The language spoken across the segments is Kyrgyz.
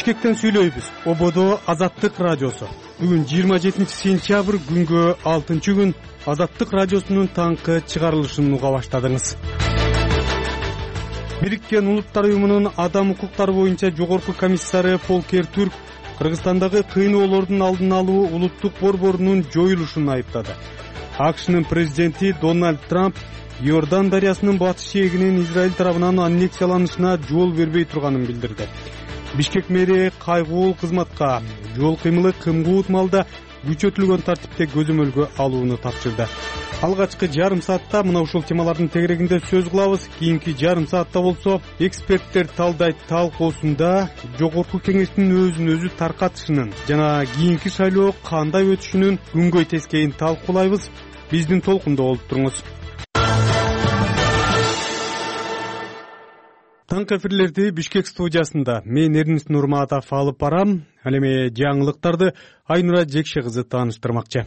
Бишкектен сүйлөйбүз. Ободо Азаттык радиосу. Бүгүн 27-сентябрь күнгө 6-күн Азаттык радиосунун таңкы чыгарылышын уга баштадыңыз. Бириккен Улуттар уюмунун адам укуктары боюнча жогорку комиссары Фолкер Түрк Кыргызстандагы кыйноолордун алдын алуу улуттук борборунун жоюлушун айыптады. АКШнын президенти Дональд Трамп Иордан дарыясынын батыш жээгинин Израиль тарабынан аннексияланышына жол бербей турганын билдирди. Бишкек мэри кайгуул кызматка жол кыймылы кымгуут маалда күчөтүлгөн тартипте көзөмөлгө алууну тапшырды. Алгачкы жарым саатта мына ушул темалардын тегерегинде сөз кылабыз. Кийинки жарым саатта болсо эксперттер талдайт талкуусунда жогорку кеңештин өзүн өзү таркатышынын жана кийинки шайлоо кандай өтүшүнүн күнгөй тескейин талкуулайбыз. Биздин толкунда болуп туруңуз. Таңкы эфирлерди Бишкек студиясында мен Эрнис Нурматов алып барам. Ал эми жаңылыктарды Айнура Жекше кызы тааныштырмакчы.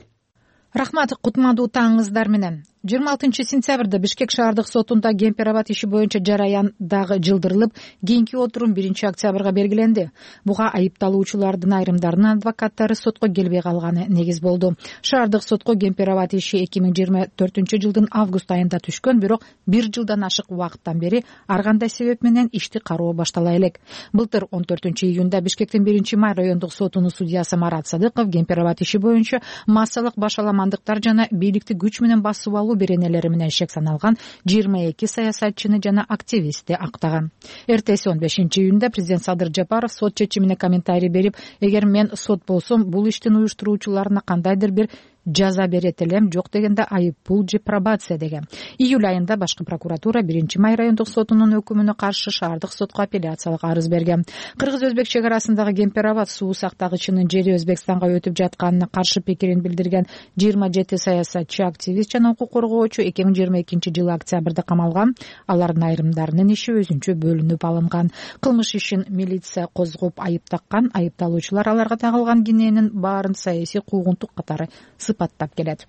Рахмат, кутмандуу таңыңыздар менен. 26-сентябрда Бишкек шаардык сотунда Кемпир-Абад иши боюнча жараян дагы жылдырылып, кийинки отурум 1-октябрга белгиленди. Буга айыпталуучулардын айрымдарынын адвокаттары сотко келбей калганы негиз болду. Шаардык сотко Кемпир-Абад иши 2024-жылдын август айында түшкөн, бирок 1 жылдан ашык убакыттан бери ар кандай себеп менен ишти кароо баштала элек. Былтыр 14-июнда Бишкектин 1-май райондук сотунун судьясы Марат Садыков Кемпир-Абад иши боюнча массалык башаламандыктар жана бийликти күч менен басып алуу беренелери менен шек саналган 22 саясатчыны жана активистти актаган. Эртеси 15-июнда президент Садыр Жапаров сот чечимине комментарий берип, эгер мен сот болсом, бул иштин уюштуруучуларына кандайдыр бир жаза берет элем, жок дегенде айып пул же пробация деген. Июль айында башкы прокуратура 1-май райондук сотунун өкүмүнө каршы шаардык сотко апелляциялык арыз берген. Кыргыз-Өзбек чек арасындагы Кемпир-Абад суу сактагычынын жери Өзбекстанга өтүп жатканына каршы пикирин билдирген 27 саясатчы, активист жана укук коргоочу 2022-жылы октябрда камалган. Алардын айрымдарынын иши өзүнчө бөлүнүп алынган. Кылмыш ишин милиция козгоп айып таккан, айыпталуучулар аларга тагылган киненин баарын саясий куугунтук катары сыпаттап келет.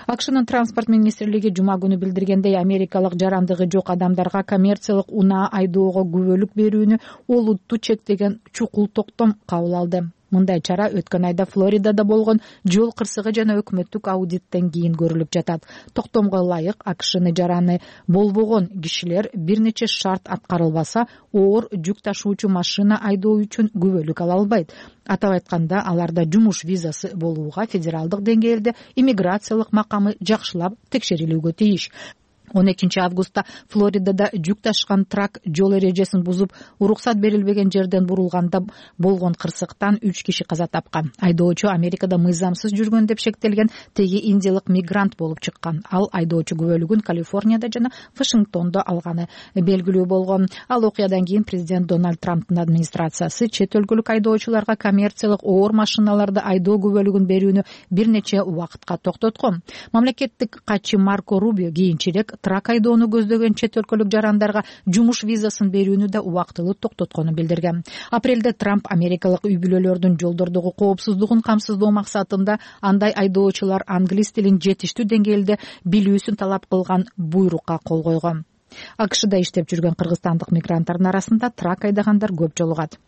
АКШнын транспорт министрлиги жума күнү билдиргендей, америкалык жарандыгы жок адамдарга коммерциялык унаа айдоого күбөлүк берүүнү олуттуу чектеген чукул токтом кабыл алды. Мындай чара өткөн айда Флоридада болгон жол кырсыгы жана өкмөттүк аудиттен кийин көрүлүп жатат. Токтомго ылайык АКШны жараны болбогон кишилер бир нече шарт аткарылбаса, оор жүк ташуучу машина айдоо үчүн күбөлүк ала албайт. Атап айтканда, аларда жумуш визасы болууга федералдык деңгээлде иммиграциялык макамы жакшылап текшерилүүгө тийиш. 12 августта Флоридада жүк ташкан трак жол эрежесин бузуп, уруксат берилбеген жерден бурулганда болгон кырсыктан 3 киши каза тапкан. Айдоочу Америкада мыйзамсыз жүргөн деп шектелген теги индиялык мигрант болуп чыккан. Ал айдоочу күбөлүгүн Калифорнияда жана Вашингтондо алганы белгилүү болгон. Ал окуядан кийин президент Дональд Трамптын администрациясы чет өлкөлүк айдоочуларга коммерциялык оор машиналарды айдоо күбөлүгүн берүүнү бир нече убакытка токтоткон. Мамлекеттик катчы Марко Рубио кийинчерээк трак айдоону көздөгөн чет өлкөлүк жарандарга жумуш визасын берүүнү да убактылуу токтотконун билдирген. Апрелде Трамп америкалык үй бүлөлөрдүн жолдордогу коопсуздугун камсыздоо максатында андай айдоочулар англис тилин жетиштүү деңгээлде билүүсүн талап кылган буйрукка кол койгон. АКШда иштеп жүргөн кыргызстандык мигранттардын арасында трак айдагандар көп жолугат.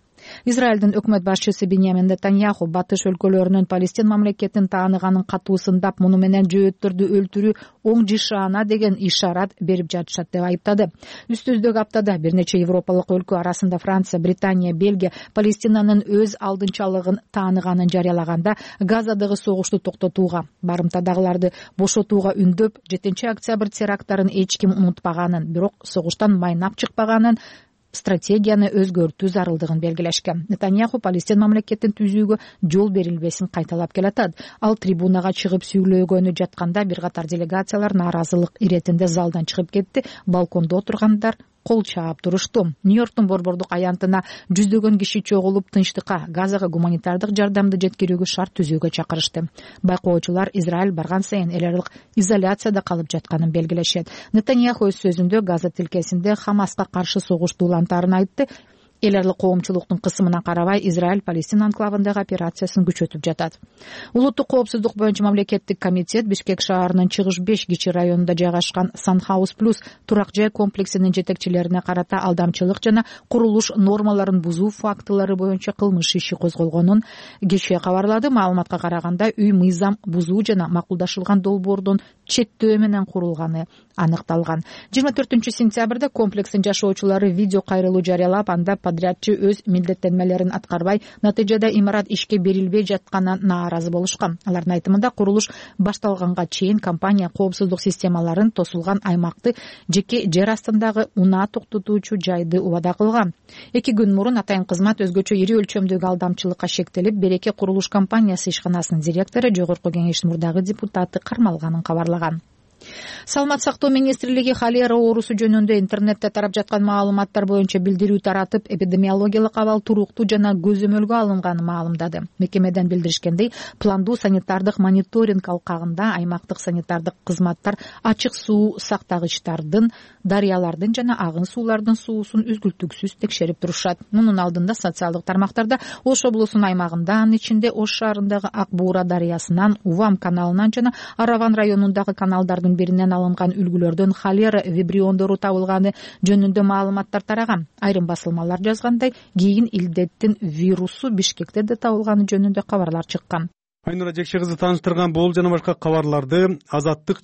Израилдин өкмөт башчысы Биньямин Нетаньяху батыш өлкөлөрүнүн Палестин мамлекетин тааныганын катуусундап, муну менен жөөттөрдү өлтүрүү оң жишаана деген ишарат берип жатышат деп айыптады. Үстүздөгү аптада бир нече европалык өлкө арасында Франция, Британия, Бельгия Палестинанын өз алдынчалыгын тааныганын жарыялаганда, Газадагы согушту токтотууга, барымтадагыларды бошотууга үндөп, 7-октябрь теракттарын эч ким унутпаганын, бирок согуштан майнап чыкпаганын, стратегияны өзгөртүү зарылдыгын белгилешкен. Нетаньяху Палестин мамлекетин түзүүгө жол берилбесин кайталап келатат. Ал трибунага чыгып сүйлөгөнү жатканда бир катар делегациялар нааразылык иретинде залдан чыгып кетти. Балкондо отургандар кол чаап турушту. Нью-Йорктун борбордук аянтына жүздөгөн киши чогулуп тынчтыкка, Газага гуманитардык жардамды жеткирүүгө шарт түзүүгө чакырышты. Байкоочулар Израиль барган сайын эл аралык изоляцияда калып жатканын белгилешет. Нетаньяху өз сөзүндө Газа тилкесинде Хамаска каршы согушту улантарын айтты. эл аралык коомчулуктун кысымына карабай Израиль Палестина анклавындагы операциясын күчөтүп жатат. Улуттук коопсуздук боюнча мамлекеттик комитет Бишкек шаарынын Чыгыш 5 кичи районунда жайгашкан Санхаус плюс турак жай комплексинин жетекчилерине карата алдамчылык жана курулуш нормаларын бузуу фактылары боюнча кылмыш иши козголгонун кечээ кабарлады. Маалыматка караганда үй мыйзам бузуу жана макулдашылган долбоордун четтөө менен курулганы аныкталган. 24-сентябрда комплекстин жашоочулары видео кайрылуу жарыялап, анда подрядчы өз милдеттенмелерин аткарбай, натыйжада имарат ишке берилбей жатканына нааразы болушкан. Алардын айтымында курулуш башталганга чейин компания коопсуздук системаларын тосулган аймакты жеке жер астындагы унаа токтотуучу жайды убада кылган. 2 күн мурун атайын кызмат өзгөчө ири өлчөмдөгү алдамчылыкка шектелип, Береке курулуш компаниясы ишканасынын директору, Жогорку Кеңештин мурдагы депутаты кармалганын кабарлаган. Саламат сактоо министрлиги холера оорусу жөнүндө интернетте тарап жаткан маалыматтар боюнча билдирүү таратып, эпидемиологиялык абал туруктуу жана көзөмөлгө алынганын маалымдады. Мекемеден билдиришкендей, пландуу санитардык мониторинг алкагында аймактык санитардык кызматтар ачык суу сактагычтардын, дарыялардын жана агын суулардын суусун үзгүлтүксүз текшерип турушат. Мунун алдында социалдык тармактарда Ош облусунун аймагында, анын ичинде Ош шаарындагы Ак Буура дарыясынан, Увам каналынан жана Араван районундагы каналдардын биринен алынган үлгүлөрдөн холера вибриондору табылганы жөнүндө маалыматтар тараган. Айрым басылмалар жазгандай, кийин илдеттин вирусу Бишкекте да табылганы жөнүндө кабарлар чыккан. Айнура Жекше кызы тааныштырган бул жана башка кабарларды Азаттык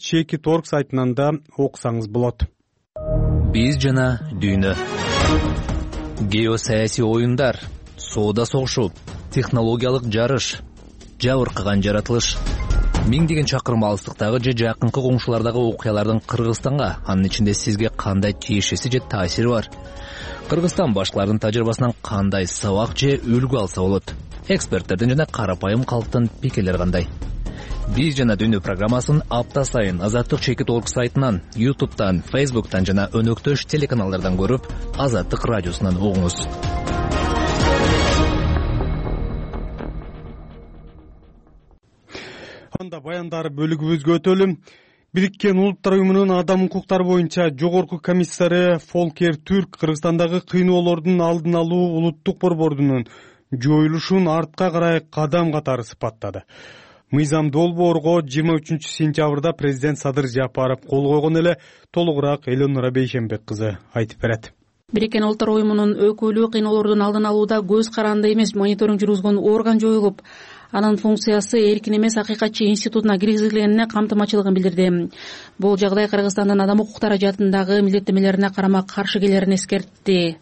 @org сайтынан да окусаңыз болот. Биз жана дүйнө. Геосаясий оюндар, соода согушу, технологиялык жарыш, жабыркаган жаратылыш. Миңдеген чакырым алыстыктагы же жакынкы коңшулардагы окуялардын Кыргызстанга, анын ичинде сизге кандай тиешеси же таасири бар? Кыргызстан башкалардын тажрыйбасынан кандай сабак же үлгү алса болот? Эксперттердин жана карапайым калктын пикирлери кандай? Биз жана дүйнө программасын апта сайын Азаттык.org сайтынан, YouTube'дан, Facebook'тан жана өнөктөш телеканалдардан көрүп, Азаттык радиосунан угуңуз. Анда баяндар бөлүгүбүзгө өтөлүм. Бириккен Улуттар уюмунун адам укуктары боюнча жогорку комиссары Фолкер Түрк Кыргызстандагы кыйноолордун алдын алуу улуттук борборунун жоюлушун артка карай кадам катары сыпаттады. Мыйзам долбоорго 23-сентябрда президент Садыр Жапаров кол койгон эле. Толугураак Элонора Бейшенбек кызы айтып берет. Бириккен Улуттар уюмунун өкүлү кыйноолордун алдын алууда көз каранды эмес мониторинг жүргүзгөн орган жоюлуп, анын функциясы эркин эмес акыйкатчы институтуна киргизилгенине камтымачылыгын билдирди. Бул жагдай Кыргызстандын адам укуктары жаатындагы милдеттенмелерине карама каршы келерин эскертти.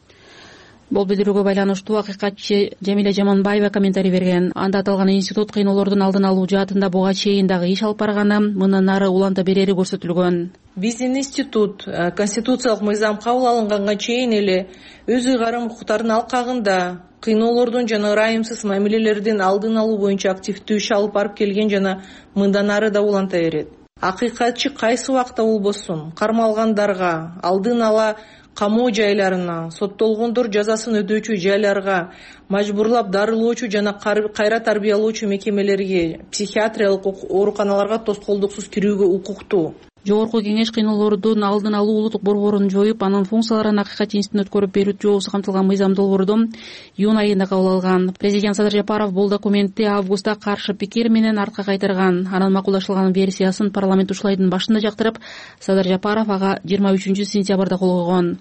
Бул билдирүүгө байланыштуу акыйкатчы Жамиля Жаманбаева комментарий берген. Анда аталган институт кыйноолордун алдын алуу жаатында буга чейин дагы иш алып барганы, мындан нары уланта берери көрсөтүлгөн. Биздин институт конституциялык мыйзам кабыл алынганга чейин эле өз ыйгарым укуктардын алкагында кыйноолордун жана ырайымсыз мамилелердин алдын алуу боюнча активдүү иш алып барып келген жана мындан ары да уланта берет. Акыйкатчы кайсы убакта болбосун кармалгандарга, алдын ала камоо жайларына, соттолгондор жазасын өдөөчү жайларга, мажбурлап дарылоочу жана кайра тарбиялоочу мекемелерге, психиатриялык ооруканаларга тоскоолдуксуз кирүүгө укуктуу. Жогорку кеңеш кыйноолордун алдын алуу улуттук борборун жоюп, анын функцияларын акыйкатчы институттун өткөрүп берүү жообусу камтылган мыйзам долбоорду июнь айында кабыл алган. Президент Садыр Жапаров бул документти августта каршы пикир менен артка кайтарган. Анын макулдашылган версиясын парламент ушул айдын башында жактырып, Садыр Жапаров ага 23-сентябрда кол койгон.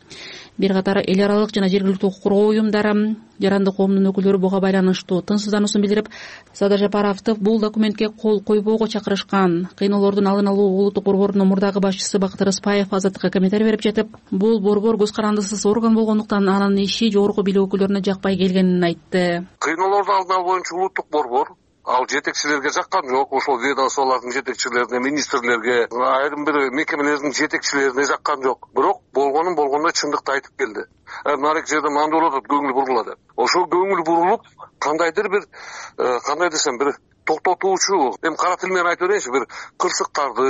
Бир катар эл аралык жана жергиликтүү укук коргоо уюмдары, жарандык коомдун өкүлдөрү буга байланыштуу тынчсыздануусун билдирип, Садыр Жапаровду бул документке кол койбоого чакырышкан. Кыйноолордун алдын алуу улуттук борборунун мурдагы башчысы Бактыр Ыспаев Азаттыкка комментарий берип жатып, бул борбор көз карандысыз орган болгондуктан анын иши жогорку бийлик өкүлдөрүнө жакпай келгенин айтты. Кыйноолордун алдын алуу боюнча улуттук борбор ал жетекчилерге жаккан жок, ошол ведомстволордун жетекчилерине, министрлерге, айрым бир мекемелердин жетекчилерине жаккан жок. Бирок болгондой чындыкты айтып келди. Нарик жерде мындай болуп атат, көңүл бурулат. Ошол көңүл бурулуп, кандай десем бир токтотуучу, эми кара тил менен айтып берейинчи, бир кырсыктарды,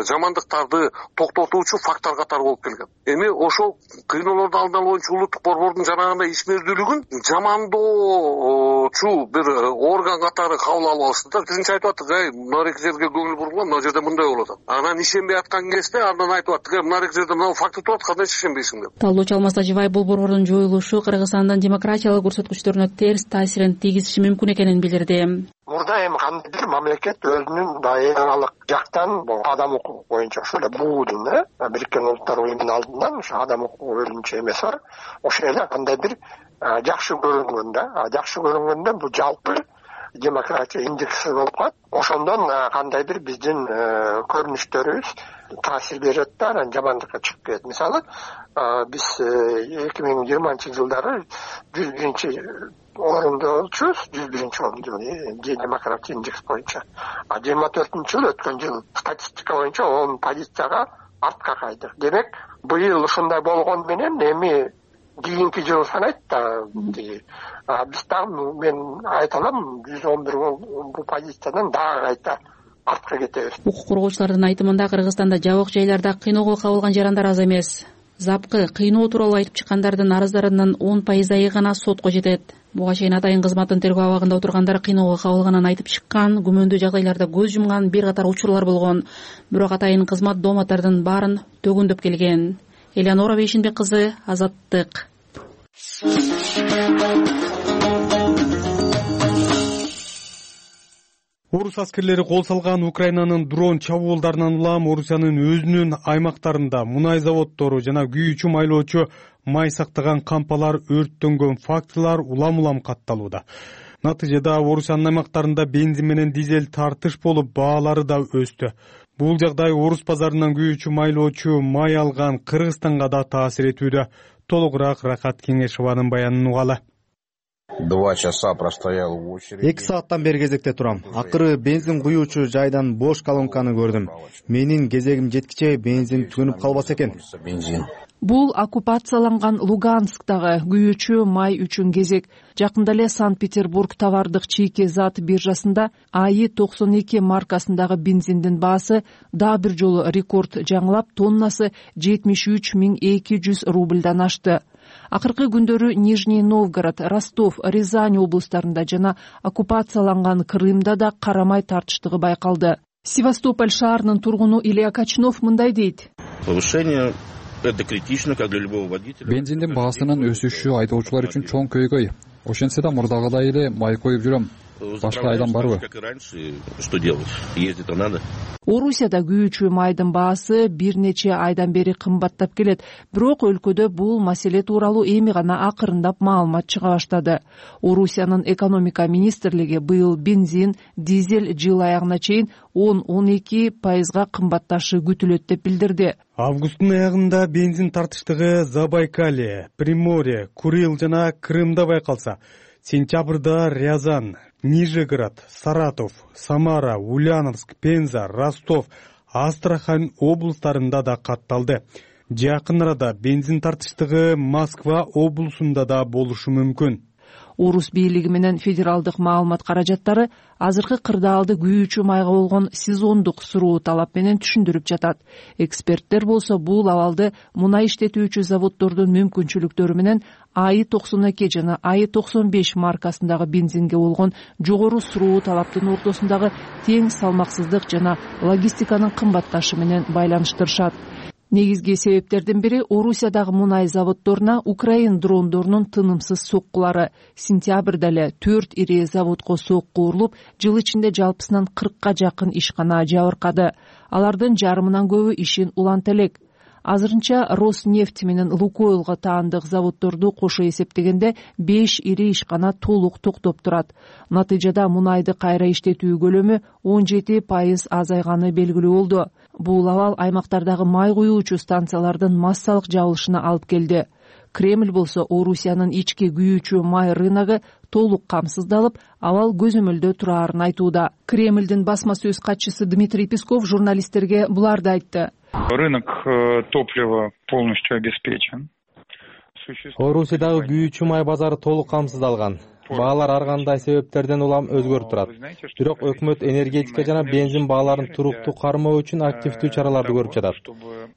жамандыктарды токтотуучу фактор катары болуп келген. Эми ошол кыйноолорду алдын алуу боюнча улуттук борбордун жанагындай ишмердүүлүгүн жамандоочу бир орган катары кабыл алып алышты да. Биринчи айтып аттык, мынарек жерге көңүл бургула, мына жерде мындай болуп атат. Анан ишенбей аткан кезде андан айтып аттык, мынарек жерде мына факт туруп атат, кандай ишенбейсиң деп. Талдоочу Алмаз Тажибаев бул борбордун жоюлушу Кыргызстандын демократиялык көрсөткүчтөрүнө терс таасирин тийгизиши мүмкүн экенин билдирди. Мурда эми кандайдыр мамлекет өзүнүн дайыраалык жактан адам укугу боюнча ошо эле БУ-дун Бириккен Улуттар Уюмунун алдынан ошо адам укугу өзүнчө эмеси бар. Ошо эле кандайдыр жакшы көрүнгөндө бул жалпы демократия индекси болуп калат. Ошондон кандайдыр биздин көрүнүштөрүбүз таасир берет да, анан жамандыкка чыгып кетет. Мисалы, биз 2020-жылдары 101-орунда болчубуз, 101-орунда демократия индекс боюнча. 24-жыл өткөн жыл статистика боюнча 10 позицияга артка кайдык. Демек, быйыл ушундай болгон менен эми кийинки жыл санайт да, биз дагы мен айта алам 111 бул позициядан дагы кайта артка кетебиз. Укук коргоочулардын айтымында Кыргызстанда жабык жайларда кыйноого кабылган жарандар аз эмес. Запкы кыйноо тууралуу айтып чыккандардын арыздарынын 10% гана сотко жетет. Буга чейин атайын кызматтын тергөө абагында отургандар кыйноого кабылганын айтып чыккан, күмөндүү жагдайларда көз жумган бир катар учурлар болгон. Бирок атайын кызмат дооматтардын баарын төгүндөп келген. Элеонора Бейшинбек кызы, Азаттык. Орус аскерлери кол салган Украинанын дрон чабуулдарынан улам Орусиянын өзүнүн аймактарында мунай заводдору жана күйүүчү майлоочу май сактаган кампалар өрттөнгөн фактылар улам катталууда. Натыйжада Орусиянын аймактарында бензин менен дизель тартыш болуп, баалары да өстү. Бул жагдай Орус базарынан күйүүчү майлоочу май алган Кыргызстанга да таасир этүүдө. Толугураак Рахат Кеңешованын баянын угалы. 2 часа простоял в очереди. 2 сааттан бери кезекте турам. Акыры бензин куюучу жайдан бош колонканы көрдүм. Менин кезегим жеткиче бензин түгөнүп калбаса экен. Бул оккупацияланган Луганскдагы күйүүчү май үчүн кезек. Жакында эле Санкт-Петербург товардык чийки зат биржасында АИ-92 маркасындагы бензиндин баасы дагы бир жолу рекорд жаңылап, тоннасы 73.200 рубльдан ашты. Акыркы күндөрү Нижний Новгород, Ростов, Рязань облустарында жана оккупацияланган Крымда да карамай тартыштыгы байкалды. Севастополь шаарынын тургуну Илья Качнов мындай дейт. Повышение это критично, как для любого водителя. Бензиндин баасынын өсүшү айдоочулар үчүн чоң көйгөй. Ошентсе да мурдагыдай эле май коюп жүрөм. Башка айдан барбы? Что делать? Ездить-то надо. Орусияда күйүүчү майдын баасы бир нече айдан бери кымбаттап келет. Бирок өлкөдө бул маселе тууралуу эми гана акырындап маалымат чыга баштады. Орусиянын экономика министрлиги быйыл бензин, дизель жыл аягына чейин 10-12% кымбатташы күтүлөт деп билдирди. Августтун аягында бензин тартыштыгы Забайкалье, Приморье, Курил жана Крымда байкалса, сентябрда Рязань, Нижегород, Саратов, Самара, Ульяновск, Пенза, Ростов, Астрахань облустарында да катталды. Жакын арада бензин тартыштыгы Москва облусунда да болушу мүмкүн. Орус бийлиги менен федералдык маалымат каражаттары азыркы кырдаалды күйүүчү майга болгон сезондук суроо талап менен түшүндүрүп жатат. Эксперттер болсо бул абалды мунай иштетүүчү заводдордун мүмкүнчүлүктөрү менен АИ-92 жана АИ-95 маркасындагы бензинге болгон жогору суроо талаптын ортосундагы тең салмаксыздык жана логистиканын кымбатташы менен байланыштырышат. Негизги себептердин бири Орусиядагы мунай заводдоруна Украин дрондорунун тынымсыз соккулары. Сентябрда эле 4 ири заводко сокку урулуп, жыл ичинде жалпысынан 40ка жакын ишкана жабыркады. Алардын жарымынан көбү ишин уланта элек. Азырынча Роснефть менен Лукойлго таандык заводдорду кошо эсептегенде 5 ири ишкана толук токтоп турат. Натыйжада мунайды кайра иштетүү көлөмү 17% азайганы белгилүү болду. Бул абал аймактардагы май куюучу станциялардын массалык жабылышына алып келди. Кремль болсо Орусиянын ички күйүүчү май рыногу толук камсыздалып, абал көзөмөлдө турарын айтууда. Кремльдин басма сөз катчысы Дмитрий Песков журналисттерге буларды айтты. Рынок топлива полностью обеспечен. Орусиядагы күйүүчү май базары толук камсыздалган. баалар ар кандай себептерден улам өзгөрүп турат. Бирок өкмөт энергетика жана бензин бааларын туруктуу кармоо үчүн активдүү чараларды көрүп жатат.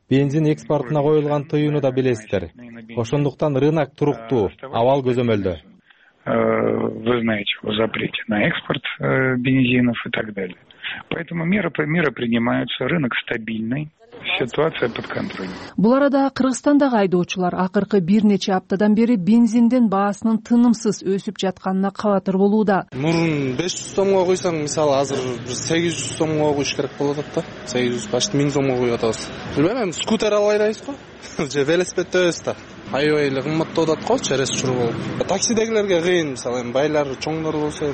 Бензин экспортуна коюлган тыюуну да билесиздер. Ошондуктан рынок туруктуу, абал көзөмөлдө. Вы знаете о запрете на экспорт бензинов и так далее. Поэтому меры принимаются, рынок стабильный, ситуация под контролем. Бул арада Кыргызстандагы айдоочулар акыркы бир нече аптадан бери бензиндин баасынын тынымсыз өсүп жатканына кабатыр болууда. Мурун 500 сомго койсоң, мисалы азыр 800 сомго коюш керек болуп атат да. 800 почти 1000 сомго коюп атабыз. Билбейм, скутер алып айдайбыз го. Же велосипед өбөз да. Аябай эле кымбаттап атат го, через чуруу болуп. Таксидегилерге кыйын, мисалы байлар, чоңдор болсо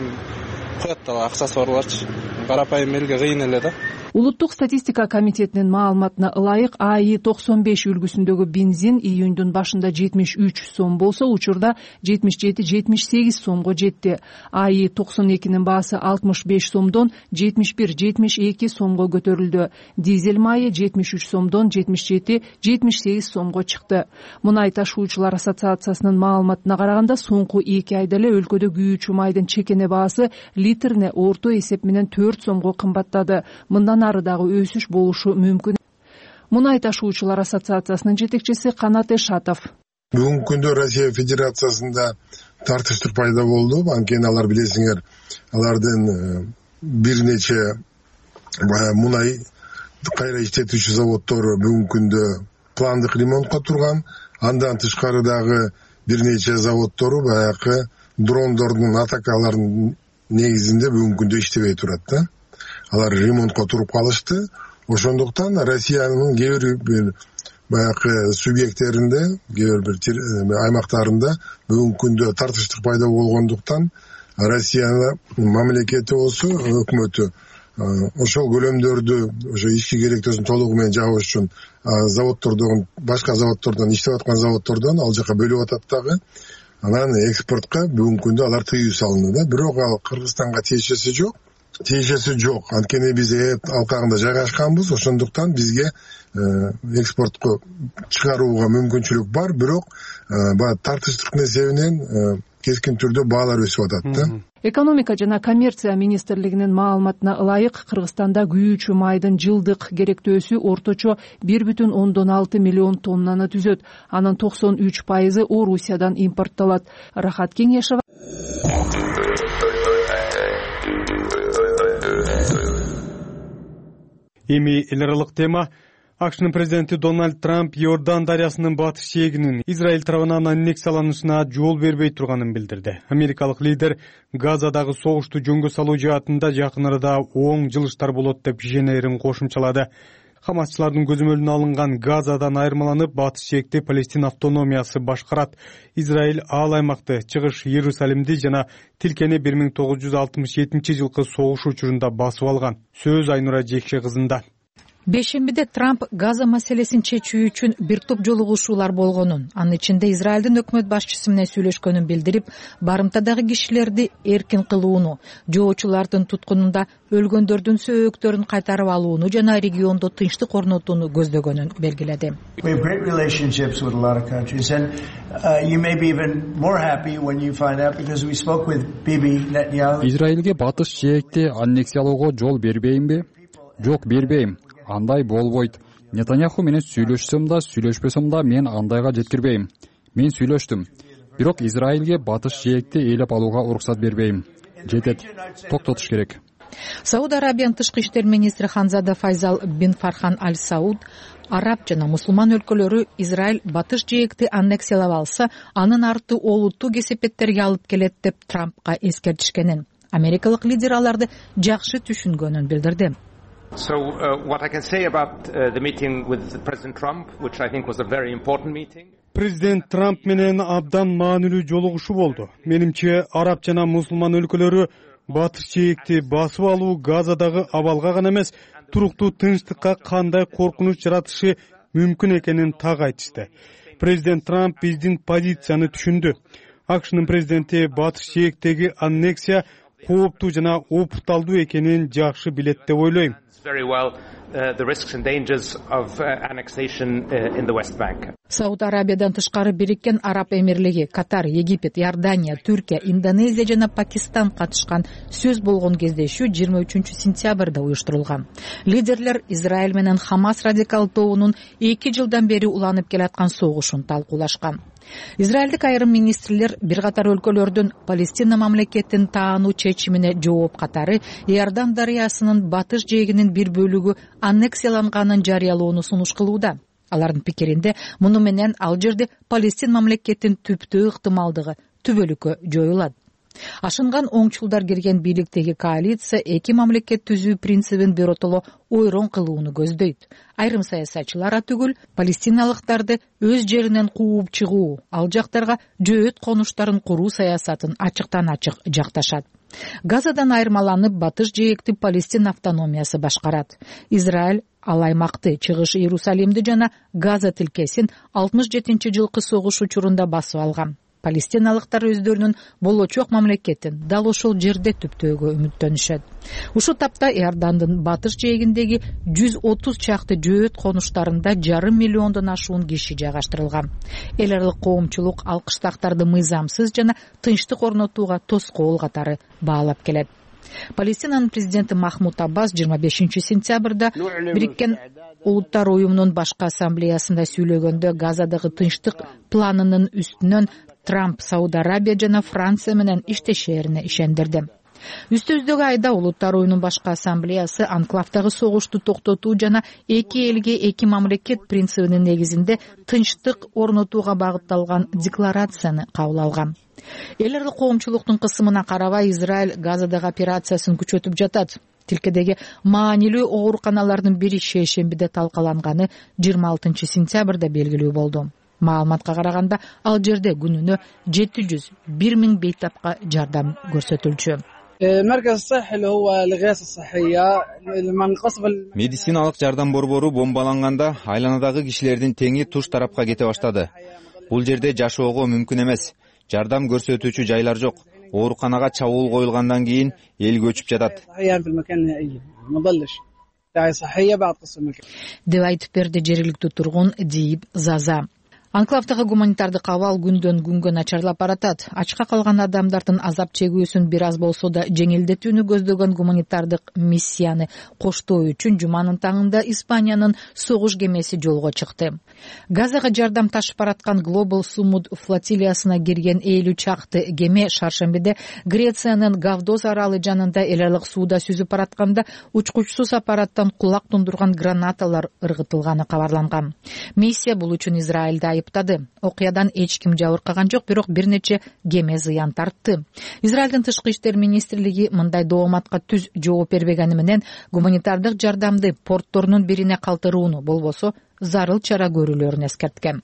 коет да акчасы барларчы. Карапайым элге кыйын эле да. Улуттук статистика комитетинин маалыматына ылайык АИ 95 үлгүсүндөгү бензин июндун башында 73 сом болсо, учурда 77-78 сомго жетти. АИ 92нин баасы 65 сомдон 71-72 сомго көтөрүлдү. Дизель майы 73 сомдон 77-78 сомго чыкты. Мунай ташуучулар ассоциациясынын маалыматына караганда, соңку 2 айда эле өлкөдө күйүүчү майдын чекене баасы литрине орто эсеп менен 4 сомго кымбаттады. Мындан ары дагы өсүш болушу мүмкүн. Мунай ташуучулар ассоциациясынын жетекчиси Канат Эшатов. Бүгүнкү күндө Россия Федерациясында тартыштык пайда болду. Анткени алар билесиңер, алардын бир нече мунай кайра иштетүүчү заводдор бүгүнкү күндө пландык ремонтко турган. Андан тышкары дагы бир нече заводдору баягы дрондордун атакаларынын негизинде бүгүнкү күндө иштебей турат да. Алар ремонтко туруп калышты. Ошондуктан Россиянын кээ бир баягы субъекттеринде, кээ бир аймактарында бүгүнкү күндө тартыштык пайда болгондуктан Россиянын мамлекети болсо, өкмөтү ошол көлөмдөрдү ошо ички керектөөсүн толугу менен жабыш үчүн заводдордон, башка заводдордон, иштеп аткан заводдордон ал жака бөлүп атат дагы. Анан экспортко бүгүнкү күндө алар тыюу салынды да. Бирок ал Кыргызстанга тиешеси жок. Анткени биз алкагында жайгашканбыз, ошондуктан бизге экспортко чыгарууга мүмкүнчүлүк бар, бирок баягы тартыштык несебинен кескин түрдө баалар өсүп атат да. Экономика жана коммерция министрлигинин маалыматына ылайык, Кыргызстанда күйүүчү майдын жылдык керектөөсү орточо 1,6 миллион тоннаны түзөт. Анын 93% Орусиядан импортталат. Рахат Кеңешова. Эми эл аралык тема. АКШнын президенти Дональд Трамп Иордан дарыясынын батыш жээгинин Израиль тарабынан аннексияланышына жол бербей турганын билдирди. Америкалык лидер Газадагы согушту жөнгө салуу жаатында жакын арада оң жылыштар болот деп ишенерин кошумчалады. Хамасчылардын көзөмөлүнө алынган Газадан айырмаланып, батыш жээгти Палестин автономиясы башкарат. Израиль ал аймакты, чыгыш Иерусалимди жана тилкени 1967 жылкы согуш учурунда басып алган. Сөз Айнура Жекше кызында. Бешембиде Трамп Газа маселесин чечүү үчүн бир топ жолугушуулар болгонун, анын ичинде Израилдин өкмөт башчысы менен сүйлөшкөнүн билдирип, барымтадагы кишилерди эркин кылууну, жоочулардын туткунунда өлгөндөрдүн сөөктөрүн кайтарып алууну жана региондо тынчтык орнотууну көздөгөнүн белгиледи. Израилге батыш жээгти аннексиялоого жол бербеймби? Жок, бербейм. Андай болбойт. Нетаньяху менен сүйлөшсөм да, сүйлөшпөсөм да мен андайга жеткирбейм. Мен сүйлөштүм. Бирок Израилге батыш жээгти ээлеп алууга уруксат бербейм. Жетет. Токтотуш керек. Сауд Арабиянын тышкы иштер министри Ханзада Файзал бин Фархан Аль Сауд араб жана мусулман өлкөлөрү Израиль батыш жээгти аннексиялап алса, анын арты олуттуу кесепеттерге алып келет деп Трампка эскертишкенин. Америкалык лидер аларды жакшы түшүнгөнүн билдирди. So what I can say about the meeting with President Trump, which I think was a very important meeting. Президент Трамп менен абдан маанилүү жолугушуу болду. Менимче, араб жана мусулман өлкөлөрү батыш жээгти басып алуу Газадагы абалга гана эмес, туруктуу тынчтыкка кандай коркунуч жаратышы мүмкүн экенин так айтышты. Президент Трамп биздин позицияны түшүндү. АКШнын президенти батыш жээктеги аннексия кооптуу жана опурталдуу экенин жакшы билет деп ойлойм. Сауд Арабиядан тышкары Бириккен Араб Эмирлиги, Катар, Египет, Иордания, Түркия, Индонезия жана Пакистан катышкан сөз болгон кездешүү 23-сентябрда уюштурулган. Лидерлер Израиль менен Хамас радикал тобунун 2 жылдан бери уланып келаткан согушун талкуулашкан. Израилдик айрым министрлер бир катар өлкөлөрдүн Палестина мамлекетин таануу чечимине жооп катары Иордан дарыясынын батыш жээгинин бир бөлүгү аннексияланганын жарыялоону сунуш кылууда. Алардын пикиринде муну менен ал жерде Палестин мамлекетин түптөө ыктымалдыгы түбөлүккө жоюлат. Ашынган оңчулдар кирген бийликтеги коалиция эки мамлекет түзүү принцибин биротоло ойрон кылууну көздөйт. Айрым саясатчылар түгүл палестиналыктарды өз жеринен кууп чыгуу, ал жактарга жөөт конуштарын куруу саясатын ачыктан ачык жакташат. Газадан айырмаланып батыш жээкти Палестин автономиясы башкарат. Израиль ал аймакты, Чыгыш Иерусалимди жана Газа тилкесин 67-жылкы согуш учурунда басып алган. Палестиналыктар өздөрүнүн болочок мамлекетин дал ошол жерде түптөөгө үмүттөнүшөт. Ушул тапта Иордандын батыш жээгиндеги 130 чакты жөөт конуштарында 500 миллиондон ашуун киши жайгаштырылган. Эл аралык коомчулук ал кыштактарды мыйзамсыз жана тынчтык орнотууга тоскоол катары баалап келет. Палестинанын президенти Махмуд Аббас 25-сентябрда Бириккен Улуттар уюмунун башкы ассамблеясында сүйлөгөндө Газадагы тынчтык планынын үстүнөн Трамп Сауд Арабия жана Франция менен иштешерине ишендирди. Үстүбүздөгү айда Улуттар уюмунун башкы ассамблеясы анклавдагы согушту токтотуу жана эки элге эки мамлекет принцибинин негизинде тынчтык орнотууга багытталган декларацияны кабыл алган. Эл аралык коомчулуктун кысымына карабай Израиль Газадагы операциясын күчөтүп жатат. Тилкедеги маанилүү ооруканалардын бири шейшембиде талкаланганы 26-сентябрда белгилүү болду. Маалыматка караганда ал жерде күнүнө 701 000 бейтапка жардам көрсөтүлчү. Медициналык жардам борбору бомбаланганда айланадагы кишилердин теңи туш тарапка кете баштады. Бул жерде жашоого мүмкүн эмес. Жардам көрсөтүүчү жайлар жок. Ооруканага чабуул коюлгандан кийин эл көчүп жатат. Деп айтып берди жергиликтүү тургун Диип Заза. Анклавдагы гуманитардык абал күндөн күнгө начарлап баратат. Ачка калган адамдардын азап чегүүсүн бир аз болсо да жеңилдетүүнү көздөгөн гуманитардык миссияны коштоо үчүн жуманын таңында Испаниянын согуш кемеси жолго чыкты. Газага жардам ташып бараткан Global Sumud флотилиясына кирген 50 чакты кеме шаршембиде Грециянын Гавдос аралы жанында эл аралык сууда сүзүп баратканда учкучсуз аппараттан кулак тундурган гранаталар ыргытылганы кабарланган. Миссия бул үчүн Израилди айыптады. Окуядан эч ким жабыркаган жок, бирок бир нече кеме зыян тартты. Израилдин тышкы иштер министрлиги мындай дооматка түз жооп бербегени менен гуманитардык жардамды портторунун бирине калтырууну, болбосо зарыл чара көрүүлөрүн эскерткен.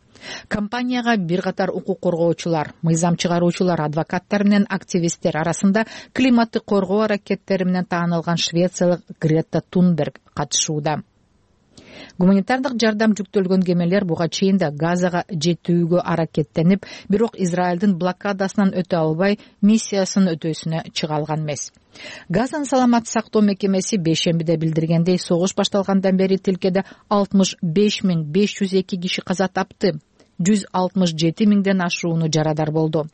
Компанияга бир катар укук коргоочулар, мыйзам чыгаруучулар, адвокаттар менен активисттер арасында климатты коргоо аракеттери менен таанылган швециялык Грета Тунберг катышууда. Гуманитардык жардам жүктөлгөн кемелер буга чейин да Газага жетүүгө аракеттенип, бирок Израилдин блокадасынан өтө албай миссиясын өтөөсүнө чыга алган эмес. Газанын саламат сактоо мекемеси бейшембиде билдиргендей, согуш башталгандан бери тилкеде 65 502 киши каза тапты. 167 000ден ашууну жарадар болду.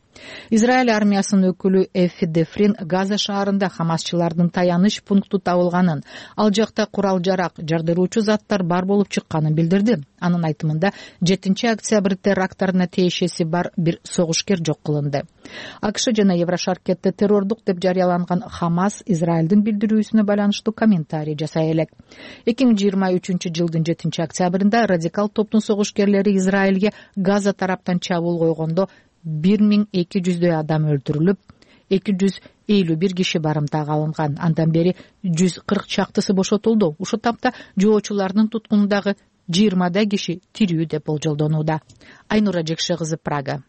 Израиль армиясынын өкүлү Эффи Дефрин Газа шаарында хамасчылардын таяныч пункту табылганын, ал жакта курал-жарак, жардыруучу заттар бар болуп чыкканын билдирди. Анын айтымында 7-октябрь теракттарына тиешеси бар бир согушкер жок кылынды. АКШ жана Еврошаркетте террордук деп жарыяланган Хамас Израилдин билдирүүсүнө байланыштуу комментарий жасай элек. 2023-жылдын 7-октябрында радикал топтун согушкерлери Израилге Газа тараптан чабуул койгондо 1200 адам өлтүрүлүп, 251 киши барымтага алынган. Андан бери 140 чактысы бошотулду. Ушул тапта жоочулардын туткунундагы 20 киши тирүү деп болжолдонууда. Айнура Жекше кызы, Прага.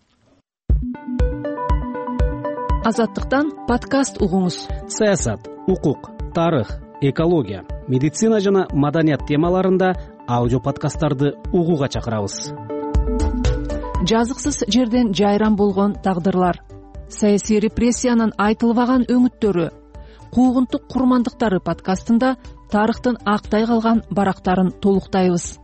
Азаттыктан подкаст угуңуз. Саясат, укук, тарых, экология, медицина жана маданият темаларында аудио подкасттарды угууга чакырабыз. Жазыксыз жерден жайран болгон тагдырлар, саясий репрессиянын айтылбаган өңүттөрү, Куугунтук курмандыктары подкастында тарыхтын актай калган барактарын толуктайбыз.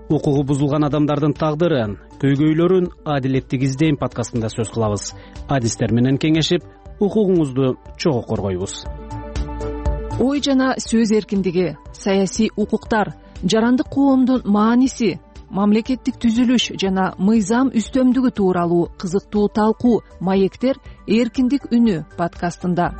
Укугу бузулган адамдардын тагдырын, көйгөйлөрүн адилеттик издейм подкастында сөз кылабыз. Адистер менен кеңешип, укугуңузду чогуу коргойбуз. Ой жана сөз эркиндиги, саясий укуктар, жарандык коомдун мааниси, мамлекеттик түзүлүш жана мыйзам үстөмдүгү тууралуу кызыктуу талкуу маектер эркиндик үнү подкастында.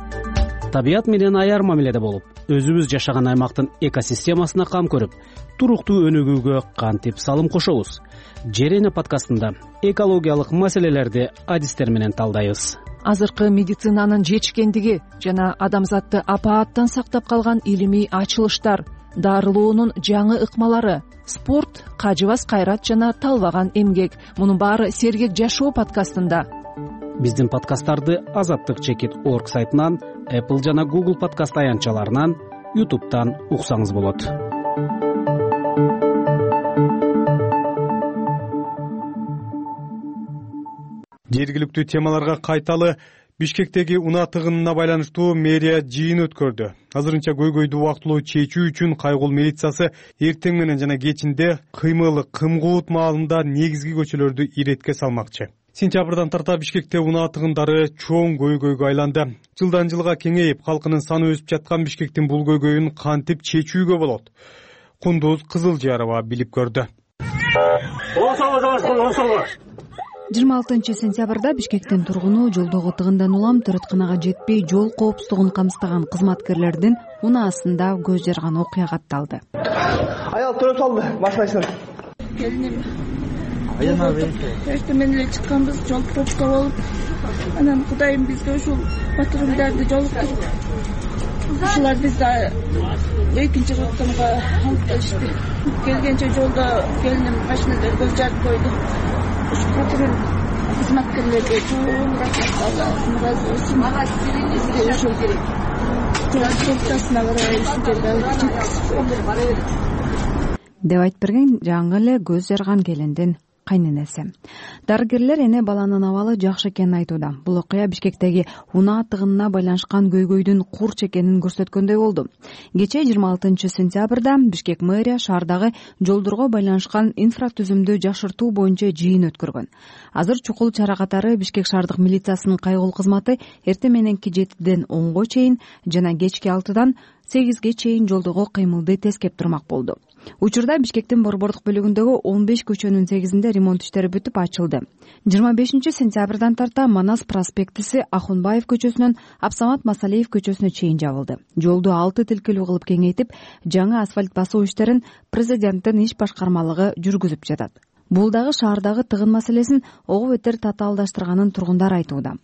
Табият менен аяр мамиледе болуп, өзүбүз жашаган аймактын экосистемасына кам көрүп, туруктуу өнүгүүгө кантип салым кошобуз? Жер эне подкастында экологиялык маселелерди адистер менен талдайбыз. Азыркы медицинанын жетишкендиги жана адамзатты апааттан сактап калган илимий ачылыштар, дарылоонун жаңы ыкмалары, спорт, кажыбас кайрат жана талбаган эмгек. Мунун баары Сергек жашоо подкастында. Биздин подкасттарды Азаттык чекит org сайтынан, Apple жана Google подкаст аянтчаларынан, YouTube'дан уксаңыз болот. Жергиликтүү темаларга кайталы. Бишкектеги унаа тыгынына байланыштуу мэрия жыйын өткөрдү. Азырынча көйгөйдү убактылуу чечүү үчүн Кайгул милициясы эртең менен жана кечинде кыймылы Кымкуут маалында негизги көчөлөрдү иретке салмакчы. Сентябрдан тарта Бишкекте унаа тыгындары чоң көйгөйгө айланды. Жылдан жылга кеңейип, халкынын саны өсүп жаткан Бишкектин бул көйгөйүн кантип чечүүгө болот? Кундуз Кызылжарова билип көрдү. 26 сентябрда Бишкектин тургуну жолдогу тыгындан улам төрөтканага жетпей жол коопсуздугун камсыздаган кызматкерлердин унаасында көз жарган окуя катталды. Аял төрөп салды, машинасынан. Келиним. Эртең менен эле чыкканбыз, жол пробка болуп, анан Кудайым бизге ушул патрулдарды жолуктуруп, ушулар бизди экинчи роттомго алып келишти. Келгенче жолдо келиним машинада көз жарып койду. Ушу патруль кызматкерлерге чоң рахмат, Аллах ыраазы болсун. Бизге ушул пробкасына карабай ушул жерге алып жеткизип деп айтып берген жаңы эле көз жарган келиндин кайненеси. Дарыгерлер эне баланын абалы жакшы экенин айтууда. Бул окуя Бишкектеги унаа тыгынына байланышкан көйгөйдүн курч экенин көрсөткөндөй болду. Кечээ 26 сентябрда Бишкек мэрия шаардагы жолдорго байланышкан инфратүзүмдү жакшыртуу боюнча жыйын өткөргөн. Азыр чукул чара катары Бишкек шаардык милициясынын Кайгул кызматы эртең мененки 7ден 10го чейин жана кечки 6дан 8ге чейин жолдогу кыймылды тескеп турмак болду. Учурда Бишкектин борбордук бөлүгүндөгү 15 көчөнүн 8-inde ремонт иштери бүтүп ачылды. 25 сентябрдан тарта Манас проспектиси Ахунбаев көчөсүнөн Абсамат Масалиев көчөсүнө чейин жабылды. Жолду 6 тилкелүү кылып кеңейтип, жаңы асфальт басуу иштерин президенттин иш башкармалыгы жүргүзүп жатат. Бул дагы шаардагы тыгын маселесин ого бетер татаалдаштырганын тургундар айтууда.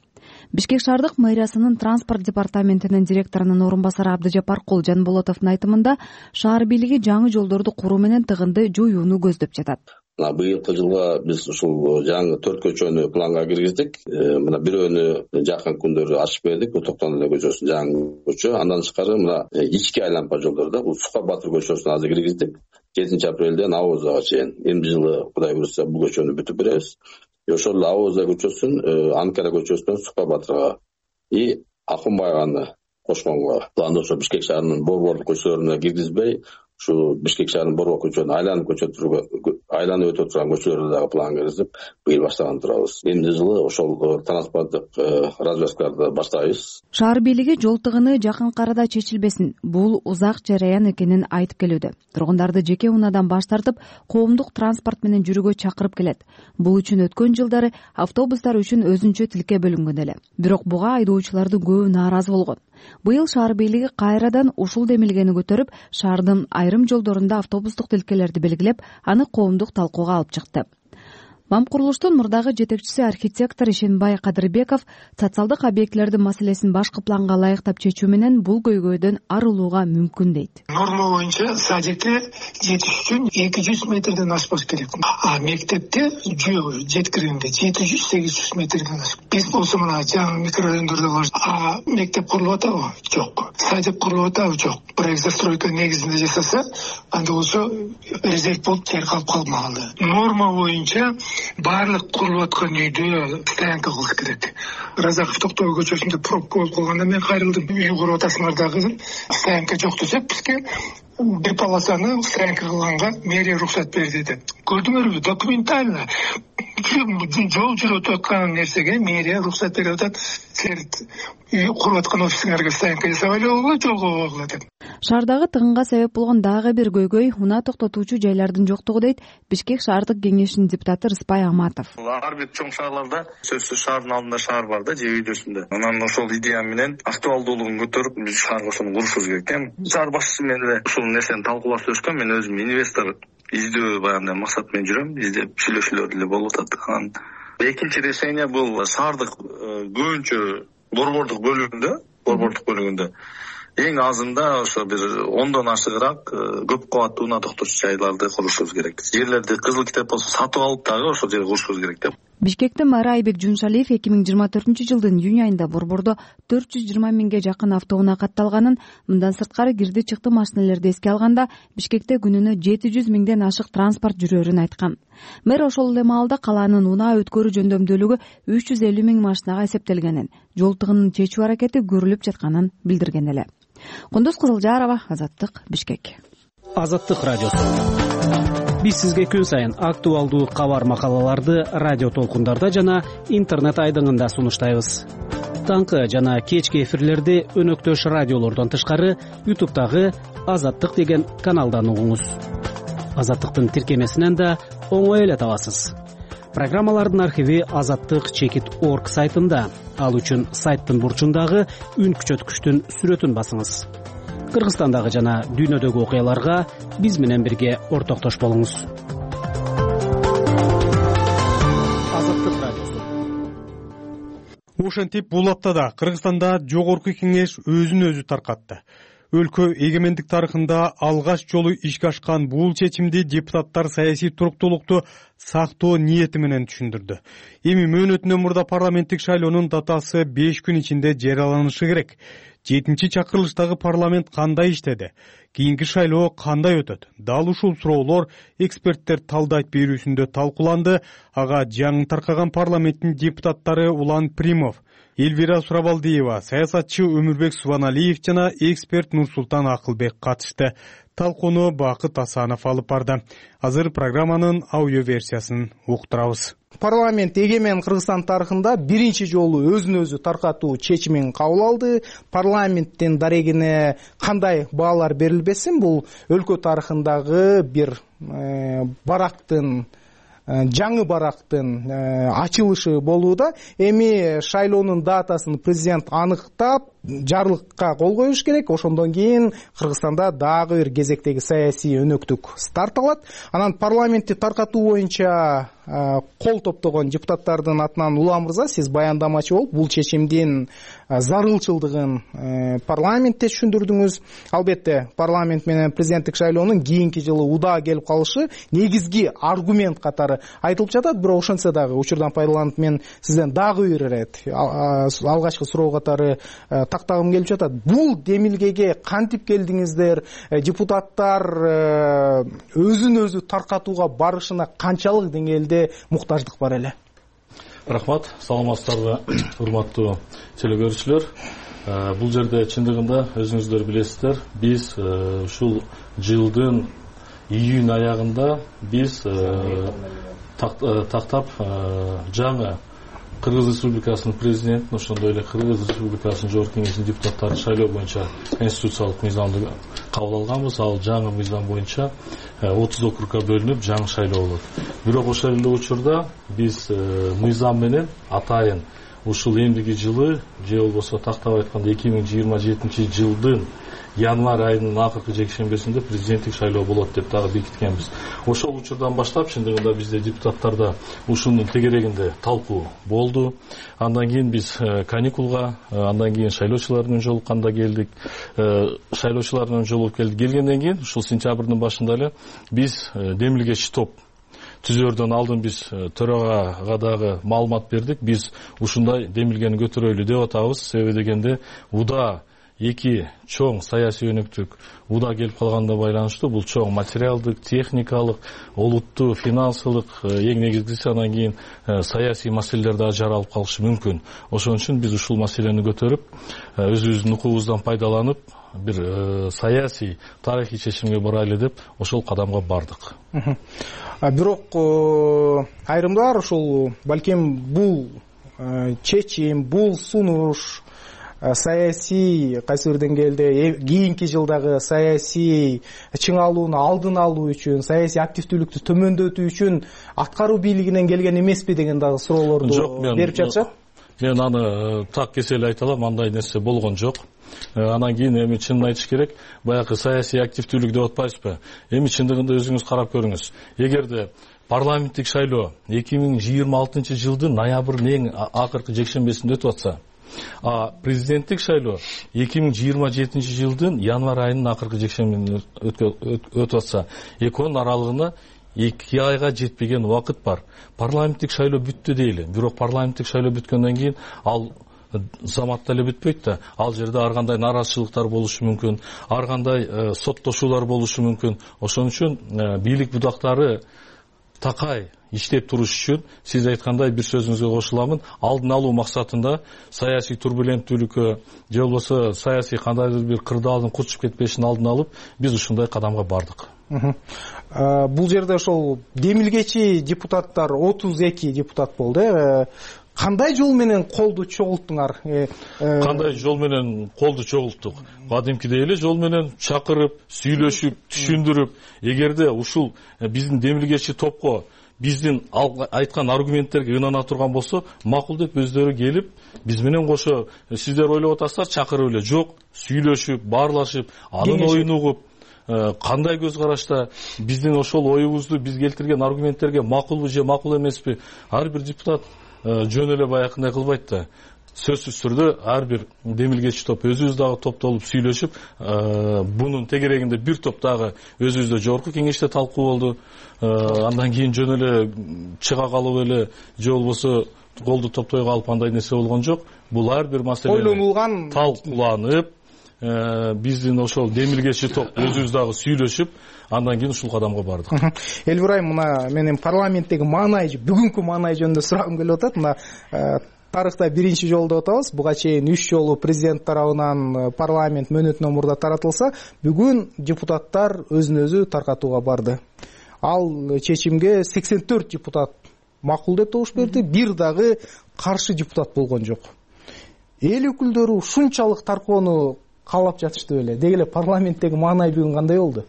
Бишкек шаардык мэриясынын транспорт департаментинин директорунун орун басары Абдыжапар Жанболотовдун айтымында, шаар бийлиги жаңы жолдорду куруу менен тыгынды жоюуну көздөп жатат. Быйылкы жылга биз ушул жаңы 4 көчөнү планга киргиздик. Мына бирөөнү жакын күндөрү ачып бердик. Токтон эле көчөсү жаңы көчө. Андан тышкары мына ички айланпа жолдордо бул Сука Батыр көчөсүн азыр киргиздик. 7 апрелден Авозага чейин. Эмди жылы Кудай буйрса бул көчөнү бүтүп беребиз. Ошол Авоза көчөсүн Анкара көчөсүнөн Сука Батырга и Ахунбаеваны кошконго планда ошо Бишкек шаарынын борбордук көчөлөрүнө киргизбей, ушу Бишкек шаарынын борбордук көчөлөрүн айланып өтө турган көчөлөрдө дагы план киргизип, быйыл баштаган турабыз. Эмди жылы ошол транспорттук развязкаларды баштайбыз. Шаар бийлиги жол тыгыны жакынкы арада чечилбесин, бул узак жараян экенин айтып келүүдө. Тургундарды жеке унаадан баш тартып, коомдук транспорт менен жүрүүгө чакырып келет. Бул үчүн өткөн жылдары автобустар үчүн өзүнчө тилке бөлүнгөн эле. Бирок буга айдоочулардын көбү нааразы болгон. Быйыл шаар бийлиги кайрадан ушул демилгени көтөрүп, шаардын айрым жолдорунда автобустук тилкелерди белгилеп, аны коомдук талкууга алып чыкты. МАМ курулуштун мурдагы жетекчиси архитектор Ишенбай Кадырбеков социалдык объектилердин маселесин башкы планга ылайыктап чечүү менен бул көйгөйдөн арылууга мүмкүн дейт. Норма боюнча садикте жетиш үчүн 200 метрден ашпаш керек. А мектепте жеткиргенде 700-800 метрден ашып. Биз болсо мына жаңы микрорайондордо бар. А мектеп курулуп атабы? Жок. Садик курулуп атабы? Жок. Проект застройка негизинде жасаса, анда болсо резерв болуп жер калып калмаган. Норма боюнча баардык курулуп аткан үйдө стоянка кылыш керек. Разаков Токтогул көчөсүндө пробка болуп калганда мен кайрылдым. Үй куруп атасыңар дагы стоянка жок десек бизге бир полосаны стоянка кылганга мэрия уруксат берди деп. Көрдүңөрбү? Документально жол жүрүп аткан нерсеге мэрия уруксат берип атат. Силер үй куруп аткан офисиңерге стоянка жасабай эле болбойбу, жолго койгула деп. Шаардагы тыгынга себеп болгон дагы бир көйгөй унаа токтотуучу жайлардын жоктугу дейт Бишкек шаардык кеңешинин депутаты Рыспай Аматов. Ар бир чоң шаарларда сөзсүз шаардын алдында шаар бар да, же өйдөсүндө. Анан ошол идея менен актуалдуулугун көтөрүп биз шаарга ошону курушубуз керек экен. Шаар башчысы менен эле ушул нерсени талкуулап сөзгөн. Мен өзүм инвестор издөө баягы максат менен жүрөм. Издеп сүйлөшүүлөр деле болуп атат. Анан экинчи решение бул шаардык көбүнчө борбордук бөлүгүндө эң азында ошо бир 10дон ашыгыраак көп кабаттуу унаа токтотуучу жайларды курушубуз керек. Жерлерди кызыл китеп болсо сатып алып дагы ошол жерге курушубуз керек деп. Бишкектин мэры Айбек Жуншалиев 2024-жылдын июнь айында борбордо 420 миңге жакын автоунаа катталганын, мындан сырткары кирди чыкты машиналерди эске алганда Бишкекте күнүнө 700 миңден ашык транспорт жүрөрүн айткан. Мэр ошол эле маалда калаанын унаа өткөрүү жөндөмдүүлүгү 350 миң машинага эсептелгенин, жол тыгынын чечүү аракети көрүлүп жатканын билдирген эле. Кундуз Кызылжарова, Азаттык, Бишкек. Азаттык радиосу. Биз сизге күн сайын актуалдуу кабар макалаларды радио толкундарда жана интернет айдыңында сунуштайбыз. Таңкы жана кечки эфирлерди өнөктөш радиолордон тышкары YouTube'дагы Азаттык деген каналдан угуңуз. Азаттыктын тиркемесинен да оңой эле табасыз. Программалардын архиви azattik.org сайтында. Ал үчүн сайттын бурчундагы үн күчөткүчтүн сүрөтүн басыңыз. Кыргызстандагы жана дүйнөдөгү окуяларга биз менен бирге ортоктош болуңуз. Азаттык радиосу. Ошентип бул аптада Кыргызстанда жогорку кеңеш өзүн өзү таркатты. Өлкө эгемендик тарыхында алгач жолу ишке ашкан бул чечимди депутаттар саясий туруктуулукту сактоо ниети менен түшүндүрдү. Эми мөөнөтүнөн мурда парламенттик шайлоонун датасы 5 күн ичинде жарыяланышы керек. 7-чи чакырылыштагы парламент кандай иштеди? Кийинки шайлоо кандай өтөт? Дал ушул суроолор эксперттер талдайт берүүсүндө талкууланды. Ага жаңы таркаган парламенттин депутаттары Улан Примов, Элвира Сурабалдиева, саясатчы Өмүрбек Субаналиев жана эксперт Нурсултан Акылбек катышты. Талкууну Бакыт Асанов алып барды. Азыр программанын аудио версиясын уктурабыз. Парламент эгемен Кыргызстан тарыхында биринчи жолу өзүн өзү таркатуу чечимин кабыл алды. Парламенттин дарегине кандай баалар берилбесин, бул өлкө тарыхындагы бир жаңы барактын ачылышы болууда. Эми шайлоонун датасын президент аныктап, жарлыкка кол коюш керек. Ошондон кийин Кыргызстанда дагы бир кезектеги саясий өнөктүк старт алат. Анан парламентти таркатуу боюнча кол топтогон депутаттардын атынан Улан мырза, сиз баяндамачы болуп, бул чечимдин зарылчылдыгын парламентте түшүндүрдүңүз. Албетте, парламент менен президенттик шайлоонун кийинки жылы удаа келип калышы негизги аргумент катары айтылып жатат. Бирок ошентсе дагы учурдан пайдаланып мен сизден дагы бир ирет алгачкы суроо катары тактагым келип жатат. Бул демилгеге кантип келдиңиздер? Депутаттар өзүн өзү таркатууга барышына канчалык деңгээлде муктаждык бар эле? Рахмат, саламатсыздарбы, урматтуу телекөрүүчүлөр. Бул жерде чындыгында өзүңүздөр билесиздер, биз ушул жылдын июнь аягында биз тактап жаңы Кыргыз Республикасынын президентин, ошондой эле Кыргыз Республикасынын жогорку кеңешинин депутаттарын шайлоо боюнча конституциялык мыйзамды кабыл алганбыз. Ал жаңы мыйзам боюнча 30 округга бөлүнүп жаңы шайлоо болот. Бирок ошол эле учурда биз мыйзам менен атайын ушул эмдиги жылы, же болбосо тактап айтканда 2027 жылдын январь айынын акыркы жекшембесинде президенттик шайлоо болот деп дагы бекиткенбиз. Ошол учурдан баштап чындыгында бизде депутаттарда ушунун тегерегинде талкуу болду. Андан кийин биз каникулга, андан кийин шайлоочулардын жолукканда келдик. Шайлоочулардын жолугуп келдик. Келгенден кийин ушул сентябрдын башында эле биз демилгечи топ түзөрдөн алдын биз төрагага дагы маалымат бердик. Биз ушундай демилгени көтөрөлү деп атабыз. Себеби дегенде удаа эки чоң саясий өнөктүк уда келип калганына байланыштуу бул чоң материалдык, техникалык, олуттуу, финансылык, эң негизгиси анан кийин саясий маселелер дагы жаралып калышы мүмкүн. Ошон үчүн биз ушул маселени көтөрүп, өзүбүздүн укугубуздан пайдаланып, бир саясий, тарыхый чечимге барайлы деп ошол кадамга бардык. Бирок айрымдар ошол балким бул чечим, бул сунуш саясий кайсы бир деңгээлде кийинки жылдагы саясий чыңалууну алдын алуу үчүн, саясий активдүүлүктү төмөндөтүү үчүн аткаруу бийлигинен келген эмеспи деген дагы суроолорду берип жатышат. Мен аны так кесел айта алам, андай нерсе болгон жок. Анан кийин эми чынын айтыш керек, баягы саясий активдүүлүк деп атпайбызбы? Эми чындыгында өзүңүз карап көрүңүз. Эгерде парламенттик шайлоо 2026 жылдын ноябрынын эң акыркы жекшембесинде өтүп атса, президенттик шайлоо 2027 жылдын январь айынын акыркы жекшембесинде өтүп атса, экөөнүн аралыгына 2 айга жетпеген убакыт бар. Парламенттик шайлоо бүттү дейли. Бирок парламенттик шайлоо бүткөндөн кийин ал заматта эле бүтпөйт да. Ал жерде ар кандай нараазычылыктар болушу мүмкүн, ар кандай соттошуулар болушу мүмкүн. Ошон үчүн бийлик будактары такай иштеп туруш үчүн сиз айткандай бир сөзүңүзгө кошуламын, алдын алуу максатында саясий турбуленттүүлүккө же болбосо саясий кандайдыр бир кырдаалдын курчуп кетпешин алдын алып, биз ушундай кадамга бардык. Бул жерде ошол демилгечи депутаттар 32 депутат болду. Кандай жол менен колду чогулттуңар? Кандай жол менен колду чогулттук? Кадимкидей эле жол менен чакырып, сүйлөшүп, түшүндүрүп, эгерде ушул биздин демилгечи топко биздин айткан аргументтерге ынана турган болсо, макул деп өздөрү келип, биз менен кошо сиздер ойлоп атасыздар, чакырып эле жок, сүйлөшүп, баарлашып, анын оюн угуп, кандай көз карашта биздин ошол оюбузду биз келтирген аргументтерге макулбу же макул эмеспи, ар бир депутат жөн эле баягындай кылбайт да. Сөзсүз түрдө ар бир демилгечи топ өзүбүз дагы топтолуп сүйлөшүп, бунун тегерегинде бир топ дагы өзүбүздө жогорку кеңеште талкуу болду. Андан кийин жөн эле чыга калып эле же болбосо колду топтой калып андай нерсе болгон жок. Бул ар бир маселе ойлонулган, талкууланып, биздин ошол демилгечи топ өзүбүз дагы сүйлөшүп, андан кийин ушул кадамга бардык. Элбир айым, мына менин парламенттеги маанай, бүгүнкү маанай жөнүндө сурагым келип атат. Мына тарыхта биринчи жолу деп атабыз. Буга чейин 3 жолу президент тарабынан парламент мөөнөтүнөн мурда таратылса, бүгүн депутаттар өзүн өзү таркатууга барды. Ал чечимге 84 депутат макул деп добуш берди, бир дагы каршы депутат болгон жок. Эл өкүлдөрү ушунчалык таркоону каалап жатышты беле? Деги эле парламенттеги маанай бүгүн кандай болду?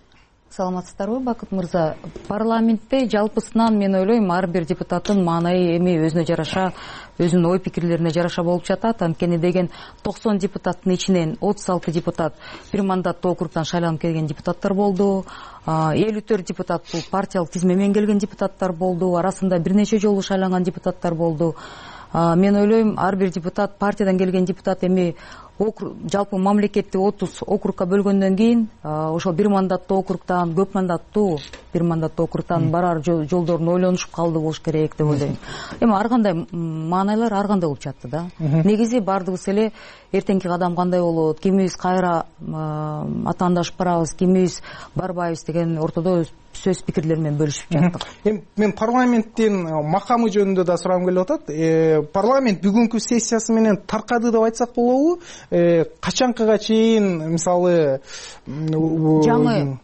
Саламатсыздарбы, Бакыт мырза? Парламентте жалпысынан мен ойлойм, ар бир депутаттын маанайы эми өзүнө жараша, өзүнүн ой пикирлерине жараша болуп жатат. Анткени деген 90 депутаттын ичинен 36 депутат бир мандаттуу округдан шайланып келген депутаттар болду. 54 депутат бул партиялык тизме менен келген депутаттар болду. Арасында бир нече жолу шайланган депутаттар болду. Мен ойлойм, ар бир депутат, партиядан келген депутат эми жалпы мамлекетти 30 округка бөлгөндөн кийин ошол бир мандаттуу округдан, көп мандаттуу бир мандаттуу округдан барар жолдорун ойлонушуп калды болуш керек деп ойлойм. Эми ар кандай маанайлар ар кандай болуп жатты да. Негизи бардыгыбыз эле эртеңки кадам кандай болот, кимибиз кайра атаандашып барабыз, кимибиз барбайбыз деген ортодо сөз пикирлер менен бөлүшүп жаттык. Мен парламенттин макамы жөнүндө да сурагым келип атат. Парламент бүгүнкү сессиясы менен таркады деп айтсак болобу? Качанкыга чейин, мисалы, жаңы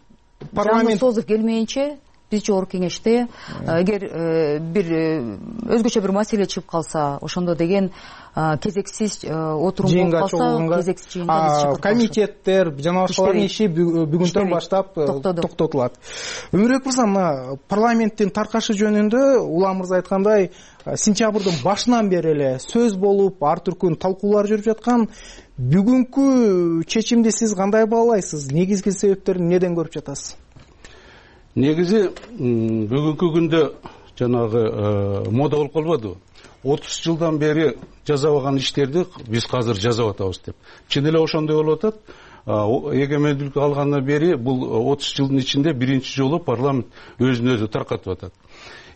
созуп келмейинче биз жогорку кеңеште эгер бир өзгөчө бир маселе чыгып калса, ошондо деген кезексиз отурум болуп калса, кезексиз жыйынга комитеттер жана башкалардын иши бүгүндөн баштап токтотулат. Өмүрбек мырза, мына парламенттин таркашы жөнүндө Улам мырза айткандай, сентябрдын башынан бери эле сөз болуп, ар түркүн талкуулар жүрүп жаткан. Бүгүнкү чечимди сиз кандай баалайсыз? Негизги себептерин неден көрүп жатасыз? Негизи бүгүнкү күндө жанагы мода болуп калбадыбы? 30 жылдан бери жасабаган иштерди биз азыр жасап атабыз деп. Чын эле ошондой болуп атат. Эгемендүүлүк алгандан бери бул 30 жылдын ичинде биринчи жолу парламент өзүн өзү таркатып атат.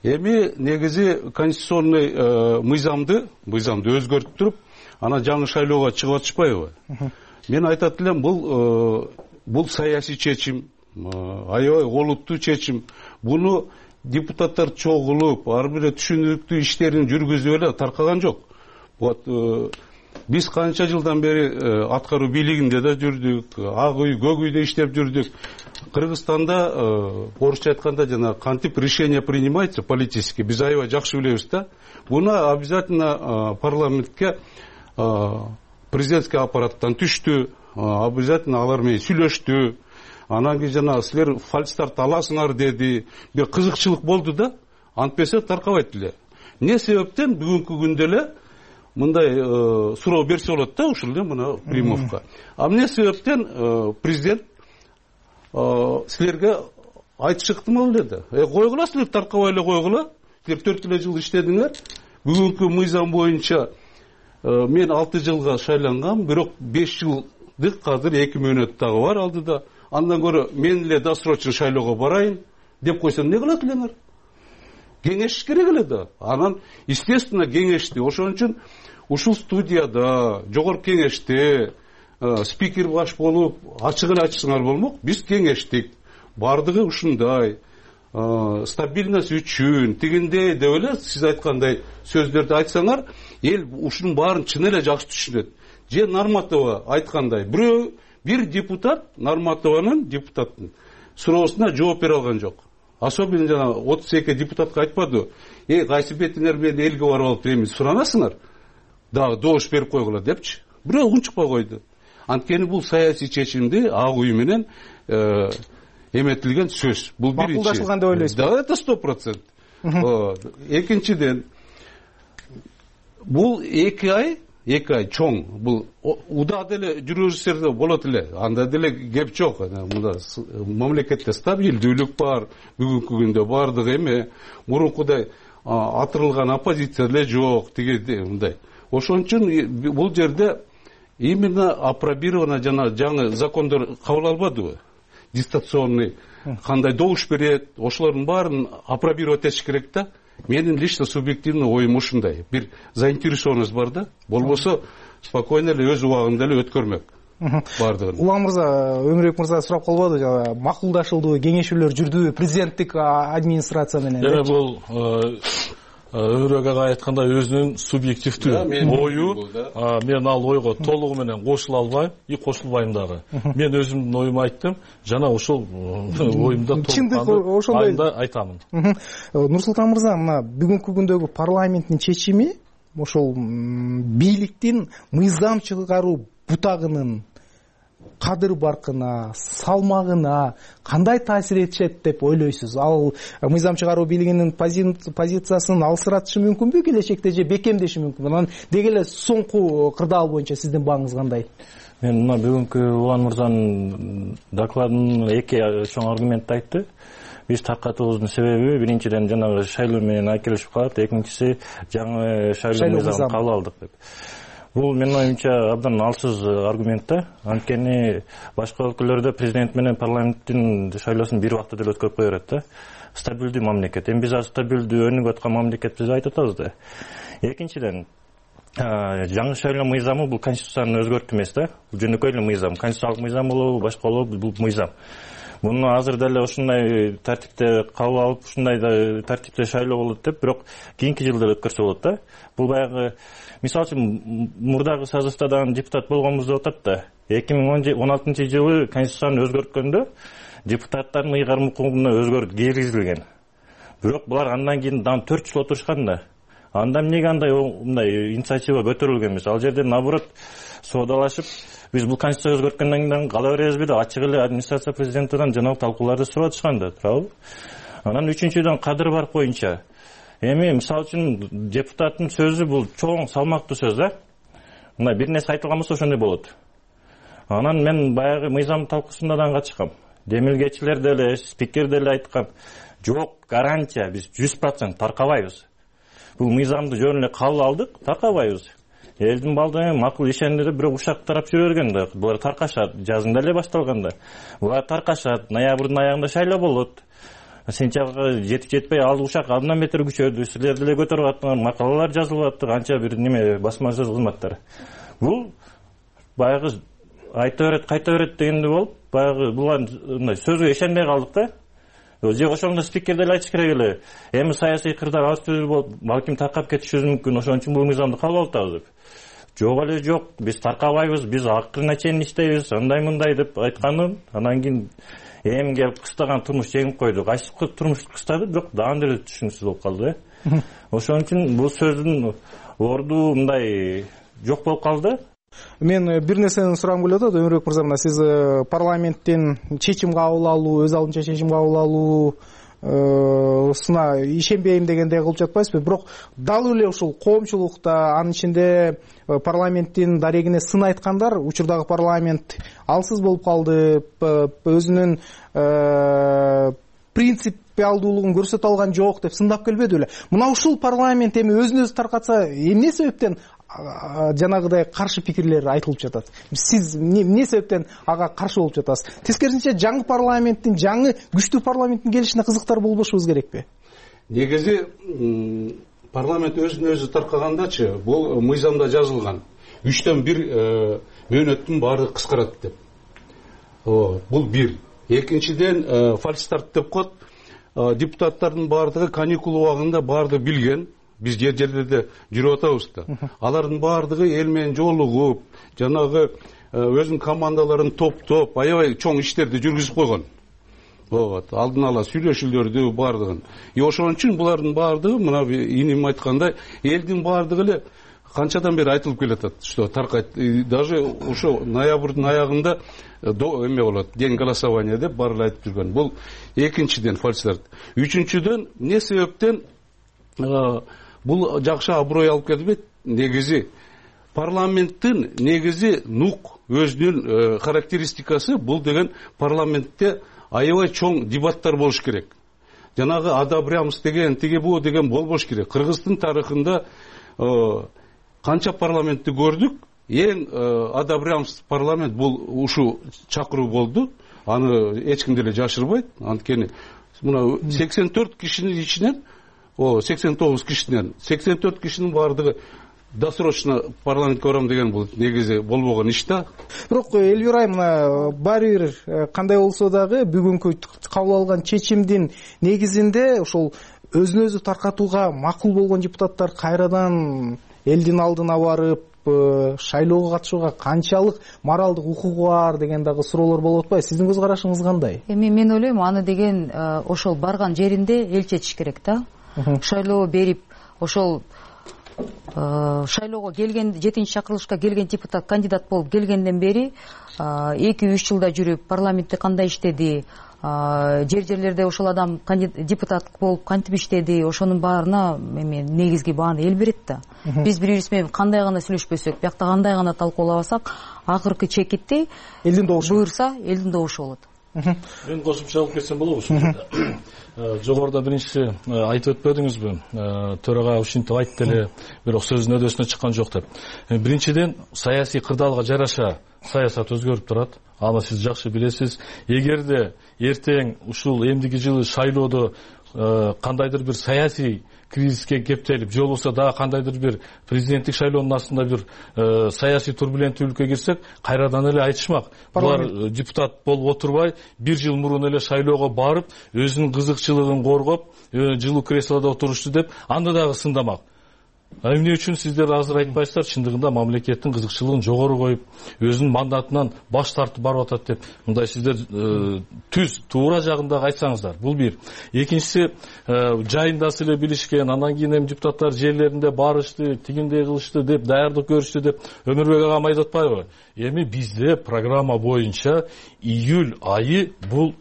Эми негизи конституционный мыйзамды өзгөртүп туруп, ана жаңы шайлоого чыгып атышпайбы? мен айтат элем, бул саясий чечим, аябай олуттуу чечим. Буну депутаттар чогулуп, ар бир түшүнүктүү иштерин жүргүзүп эле таркаган жок. Вот биз канча жылдан бери аткаруу бийлигинде да жүрдүк, ак үй, көк үйдө иштеп жүрдүк. Кыргызстанда орусча айтканда жана кантип решение принимается политически, биз аябай жакшы билебиз да. Буну обязательно парламентке президентский аппараттан түштү, обязательно алар менен сүйлөштү. Анан кийин жана силер фальстарт аласыңар деди. Бир кызыкчылык болду да, антпесе таркабайт эле. Эмне себептен бүгүнкү күндө эле мындай суроо берсе болот да, ушул эле мына Примовка. Эмне себептен президент силерге айтышы ыктымал эле да. Койгула силер, таркабай эле койгула. Силер 4 жыл иштедиңер. Бүгүнкү мыйзам боюнча мен 6 жылга шайлангам, бирок 5 жылдык азыр 2 мөөнөт дагы бар алдыда. Андан көрө мен эле досрочно шайлоого барайын деп койсо эмне кылат элеңер? Кеңеш керек эле да. Анан естественно кеңешти. Ошон үчүн ушул студияда, жогорку кеңеште спикер баш болуп ачык эле айтсаңар болмок. Биз кеңештик. Бардыгы ушундай. Стабильность үчүн тигиндей деп эле сиз айткандай сөздөрдү айтсаңар, эл ушунун баарын чын эле жакшы түшүнөт. Же Нарматова айткандай, бир депутат Нарматованын депутаттын суроосуна жооп бере алган жок. Особенно жана 32 депутатка айтпады. Кайсы бетиңер менен элге барып алып эми суранасыңар? Дагы добуш берип койгула депчи. Бирөө унчукпай койду. Анткени бул саясий чечимди ак үй менен эметилген сөз. Бул биринчи. Макулдашылган деп ойлойсузбу? Да, это 100%. Экинчиден, бул 2 ай чоң. Бул уда деле жүрүрсө болот эле. Анда деле кеп жок. Мында мамлекетте стабилдүүлүк бар. Бүгүнкү күндө бардыгы эме мурункудай атырылган оппозиция эле жок. Тиги мындай. Ошон үчүн бул жерде именно апробировано жана жаңы закондор кабыл албадыбы? Дистанционный кандай добуш берет, ошолордун баарын апробировать этиш керек да. Менин лично субъективный оюм ушундай. Бир заинтересованность бар да. Болбосо спокойно эле өз убагында эле өткөрмөк. Бардыгын. Улан мырза, Өмүрбек мырза сурап калбады, макулдашылдыбы, кеңешүүлөр жүрдүбү президенттик администрация менен? Бул Өмүрбек ага айткандай өзүнүн субъективдүү ою. Мен ал ойго толугу менен кошула албайм, кошулбайм дагы. Мен өзүмдүн оюмду айттым, жана ошол оюмда толук айтамын. Нурсултан мырза, мына бүгүнкү күндөгү парламенттин чечими ошол бийликтин мыйзам чыгаруу бутагынын кадыр баркына, салмагына кандай таасир этишет деп ойлойсуз? Ал мыйзам чыгаруу бийлигинин позициясын алсыратышы мүмкүнбү келечекте же бекемдеши мүмкүнбү? Анан деги эле соңку кырдаал боюнча сиздин бааңыз кандай? Мен мына бүгүнкү Улан мырзанын докладын 2 чоң аргументти айтты. Биз таркатуубуздун себеби биринчиден жанагы шайлоо менен айкелешип калат, экинчиси жаңы шайлоо мыйзамын кабыл алдык деп. Бул менин оюмча абдан алсыз аргумент да. Анткени башка өлкөлөрдө президент менен парламенттин шайлоосун бир убакта деле өткөрүп кое берет да. Стабилдүү мамлекет. Эми биз стабилдүү өнүгүп аткан мамлекетпиз деп айтып атабыз да. Экинчиден, жаңы шайлоо мыйзамы бул конституцияны өзгөртүү эмес да. Бул жөнөкөй эле мыйзам. Конституциялык мыйзам болобу, башка болобу, бул мыйзам. Муну азыр деле ушундай тартипте кабыл алып, ушундай тартипте шайлоо болот деп, бирок кийинки жылда өткөрсө болот да. Бул баягы мисалы үчүн мурдагы созывда дагы депутат болгонбуз деп атат да. 2016-жылы конституцияны өзгөрткөндө депутаттардын ыйгарым укугуна өзгөртүү киргизилген. Бирок булар андан кийин дагы 4 жыл отурушкан да. Анда эмнеге мындай инициатива көтөрүлгөн эмес? Ал жерде наоборот соодалашып, биз бул конституция өзгөрткөндөн кийин кала беребизби деп ачык эле администрация президенттен жанагы талкууларды сурап атышкан да, туурабы? Анан үчүнчүдөн кадыр барк боюнча эми мисалы үчүн депутаттын сөзү бул чоң салмактуу сөз да. Мына бир нерсе айтылган болсо ошондой болот. Анан мен баягы мыйзам талкуусунда да катышкам. Демилгечилер деле, спикер деле айткан, жок гарантия биз 100% таркабайбыз. Бул мыйзамды жөн эле кабыл алдык, таркабайбыз. Элдин балдары макул ишендирип бирок ушак тарап жүрө берген да. Булар таркашат, жазында эле башталганда. Булар таркашат, ноябрдын аягында шайлоо болот. Сентябрга жетип-жетпей ал ушак абдан бетер күчөдү. Силер деле көтөрүп аттыңар, макалалар жазылып атты, канча бир неме басма сөз кызматтар. Бул баягы айта берет кайта берет дегендей болуп баягы булар мындай сөзгө ишенбей калдык да. Же ошондо спикер деле айтыш керек эле. Эми саясий кырдаал аз түзүлүп болуп, балким таркап кетишибиз мүмкүн, ошон үчүн бул мыйзамды кабыл алып атабыз деп. Жок эле жок, биз таркабайбыз, биз акырына чейин иштейбиз, андай мындай деп айтканы, анан кийин эми келип кыстаган турмуш жеңип койду. Кайсы турмуш кыстады, бирок дагы деле түшүнүксүз болуп калды. Ошон үчүн бул сөздүн орду мындай жок болуп калды. Мен бир нерсени сурагым келип атат, Өмүрбек мырза, мына сиз парламенттен чечим кабыл алуу, өз алдынча чечим кабыл алуу сына ишенбейм дегендей кылып жатпайсызбы? Бирок дал эле ушул коомчулукта, анын ичинде парламенттин дарегине сын айткандар, учурдагы парламент алсыз болуп калды, өзүнүн принципиалдуулугун көрсөтө алган жок деп сындап келбеди беле? Мына ушул парламент эми өзүн өзү таркатса, эмне себептен жанагыдай каршы пикирлер айтылып жатат? Сиз эмне себептен ага каршы болуп жатасыз? Тескерисинче жаңы парламенттин, жаңы күчтүү парламенттин келишине кызыктар болбошубуз керекпи? Негизи парламент өзүн өзү таркагандачы, бул мыйзамда жазылган 3төн 1 мөөнөттүн баары кыскарат деп. Бул бир. Экинчиден фальстарт деп коет. Депутаттардын баардыгы каникул убагында баардыгы билген. Биз жерлерде жүрүп атабыз да. Алардын баардыгы эл менен жолугуп, жанагы өзүнүн командаларын топтоп, аябай чоң иштерди жүргүзүп койгон. Алдын ала сүйлөшүүлөрдү баардыгын. Ошон үчүн булардын баардыгы мына иним айткандай, элдин баардыгы эле канчадан бери айтылып келатат, что таркайт. Даже ошо ноябрдын аягында эме болот, день голосования деп баары айтып жүргөн. Бул экинчиден фальстарт. Үчүнчүдөн эмне себептен бул жакшы аброй алып келбейт? Негизи парламенттин негизи нук өзүнүн характеристикасы, бул деген парламентте аябай чоң дебаттар болуш керек. Жанагы одобрямс деген, тиги бу деген болбош керек. Кыргыздын тарыхында канча парламентти көрдүк, эң одобрямс парламент бул ушу чакыруу болду. Аны эч ким деле жашырбайт. Анткени мына 84 кишинин ичинен 89 кишинен 84 кишинин баардыгы досрочно парламентке барам деген бул негизи болбогон иш да. Бирок Элвира айым, мына баары бир кандай болсо дагы бүгүнкү кабыл алган чечимдин негизинде ошол өзүн өзү таркатууга макул болгон депутаттар кайрадан элдин алдына барып шайлоого катышууга канчалык моралдык укугу бар деген дагы суроолор болуп атпайбы? Сиздин көз карашыңыз кандай? Эми мен ойлойм, аны деген ошол барган жеринде эл чечиш керек да. Шайлоо берип, ошол шайлоого келген, 7-чакырылышка келген депутат кандидат болуп келгенден бери 2-3 жылда жүрүп парламентте кандай иштеди, жерлерде ошол адам депутат болуп кантип иштеди, ошонун баарына эми негизги бааны эл берет да. Биз бири-бирибиз менен кандай гана сүйлөшпөсөк, биякта кандай гана талкуулабасак, акыркы чекитти элдин добушу буйрса, элдин добушу болот. Мен кошумча алып кетсем болобу ушул жерде? Жогоруда биринчи айтып өтпөдүңүзбү? Төрага ушинтип айтты эле, бирок сөзүнүн өдөсүнө чыккан жок деп. Биринчиден, саясий кырдаалга жараша саясат өзгөрүп турат. Аны сиз жакшы билесиз. Эгерде эртең ушул эмдиги жылы шайлоодо кандайдыр бир саясий кризиске кептелип, же болбосо дагы кандайдыр бир президенттик шайлоонун астында бир саясий турбуленттүүлүккө кирсек, кайрадан эле айтышмак. Булар депутат болуп отурбай, 1 жыл мурун эле шайлоого барып, өзүнүн кызыкчылыгын коргоп, жылуу креслодо отурушту деп, аны дагы сындамак. Эмне үчүн сиздер азыр айтпайсыздар? Чындыгында мамлекеттин кызыкчылыгын жогору коюп, өзүнүн мандатынан баш тартып барып атат деп, мындай сиздер түз туура жагындагы айтсаңыздар. Бул бир. Экинчиси, жайында эле билишкен, андан кийин эми депутаттар жерлеринде барышты, тигиндей кылышты деп, даярдык көрүштү деп Өмүрбек агам айтып атпайбы? Эми бизде программа боюнча июль айы бул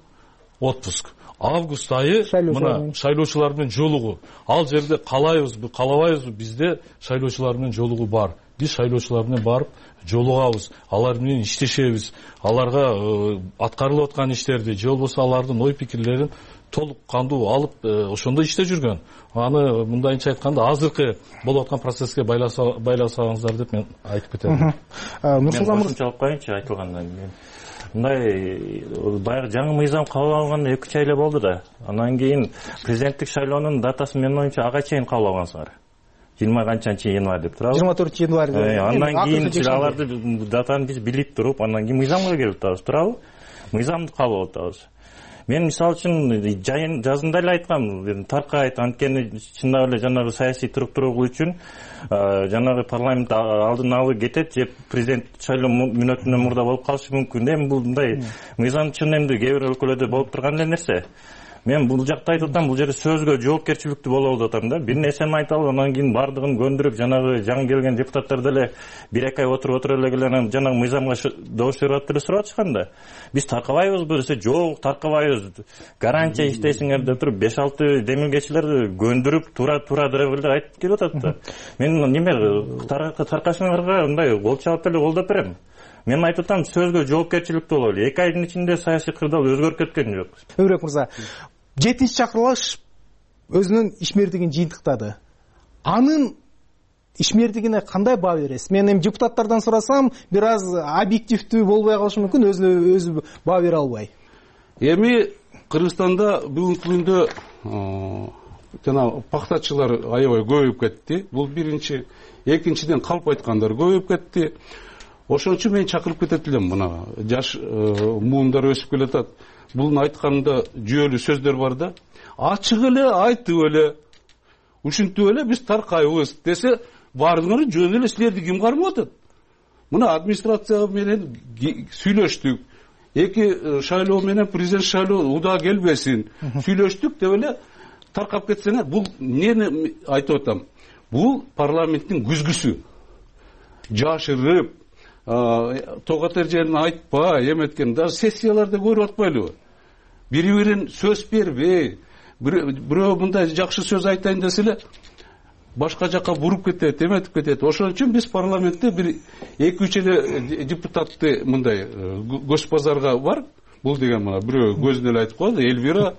отпуск. Август айы мына шайлоочулар менен жолугуу. Ал жерде калайбызбы, калабайбызбы, бизде шайлоочулар менен жолугуу бар. Биз шайлоочулар менен барып жолугабыз, алар менен иштешебиз, аларга аткарылып аткан иштерди, же болбосо алардын ой пикирлерин толук кандуу алып ошондо иште жүргөн. Аны мындайынча айтканда азыркы болуп аткан процесске байласаңыздар деп мен айтып кетем. Нурсултан мырза, кошумча алып коеюнчу айтылгандан кийин. Мындай баягы жаңы мыйзам кабыл алганда 2 ай болду да. Андан кийин президенттик шайлоонун датасын менин оюмча ага чейин кабыл алгансыңар. 20 канчанчы январь деп турабы, 24 январь. Андан кийин аларды датаны биз билип туруп, андан кийин мыйзамга келип атабыз, туурабы? Мыйзамды кабыл алып атабыз. Мен мисалы үчүн жазында эле айткам, таркайт, анткени чындап эле жанагы саясий туруктуулук үчүн жанагы парламент алдын алып кетет же президент шайлоо мүнөтүнөн мурда болуп калышы мүмкүн. Эми бул мындай мыйзам чын эмне кээ бир өлкөлөрдө болуп турган эле нерсе. Мен бул жакта айтып атам, бул жерде сөзгө жоопкерчиликтүү болобу деп атам да. Бир нерсени айталып, анан кийин бардыгын көндүрүп, жанагы жаңы келген депутаттар деле 1-2 ай отуруп эле келе жанагы мыйзамга добуш берип атып эле сурап атышкан да. Биз таркабайбызбы десе, жок, таркабайбыз. Гарантия иштейсиңер деп туруп 5-6 демилгечилерди көндүрүп, туура деревелде айтып келип атат да. Мен неме таркашыңарга мындай кол чабып эле колдоп берем. Мен айтып атам, сөзгө жоопкерчиликтүү бололу. 2 айдын ичинде саясий кырдаал өзгөрүп кеткен жок. Өмүрбек мырза, 7-чи чакырылыш өзүнүн ишмердигин жыйынтыктады. Анын ишмердигине кандай баа бересиз? Мен эми депутаттардан сурасам, бир аз объективдүү болбой калышы мүмкүн, өзү баа бере албай. Эми Кыргызстанда бүгүнкү күндө жана пактачылар аябай көбөйүп кетти. Бул биринчи. Экинчиден калп айткандар көбөйүп кетти. Ошон үчүн мен чакырып кетет элем, мына жаш муундар өсүп келатат. Бунун айтканында жүйөлүү сөздөр бар да. Ачык эле айтып эле, ушинтип эле биз таркайбыз десе, баардыгы жөн эле силерди ким кармап атат? Мына администрация менен сүйлөштүк. 2 шайлоо менен президент шайлоо уда келбесин. Сүйлөштүк деп эле таркап кетсеңер, бул эмнени айтып атам? Бул парламенттин күзгүсү. Жашырып, тогот эрежени айтпай, эметкен, даже сессияларда көрүп атпайлыбы? Бири-бирин сөз бербей, бирөө мындай жакшы сөз айтайын десе эле башка жака буруп кетет, эметип кетет. Ошон үчүн биз парламентте бир 2-3 эле депутатты мындай көз базарга бар. Бул деген мына бирөө көзүнө эле айтып коёду, Элвира,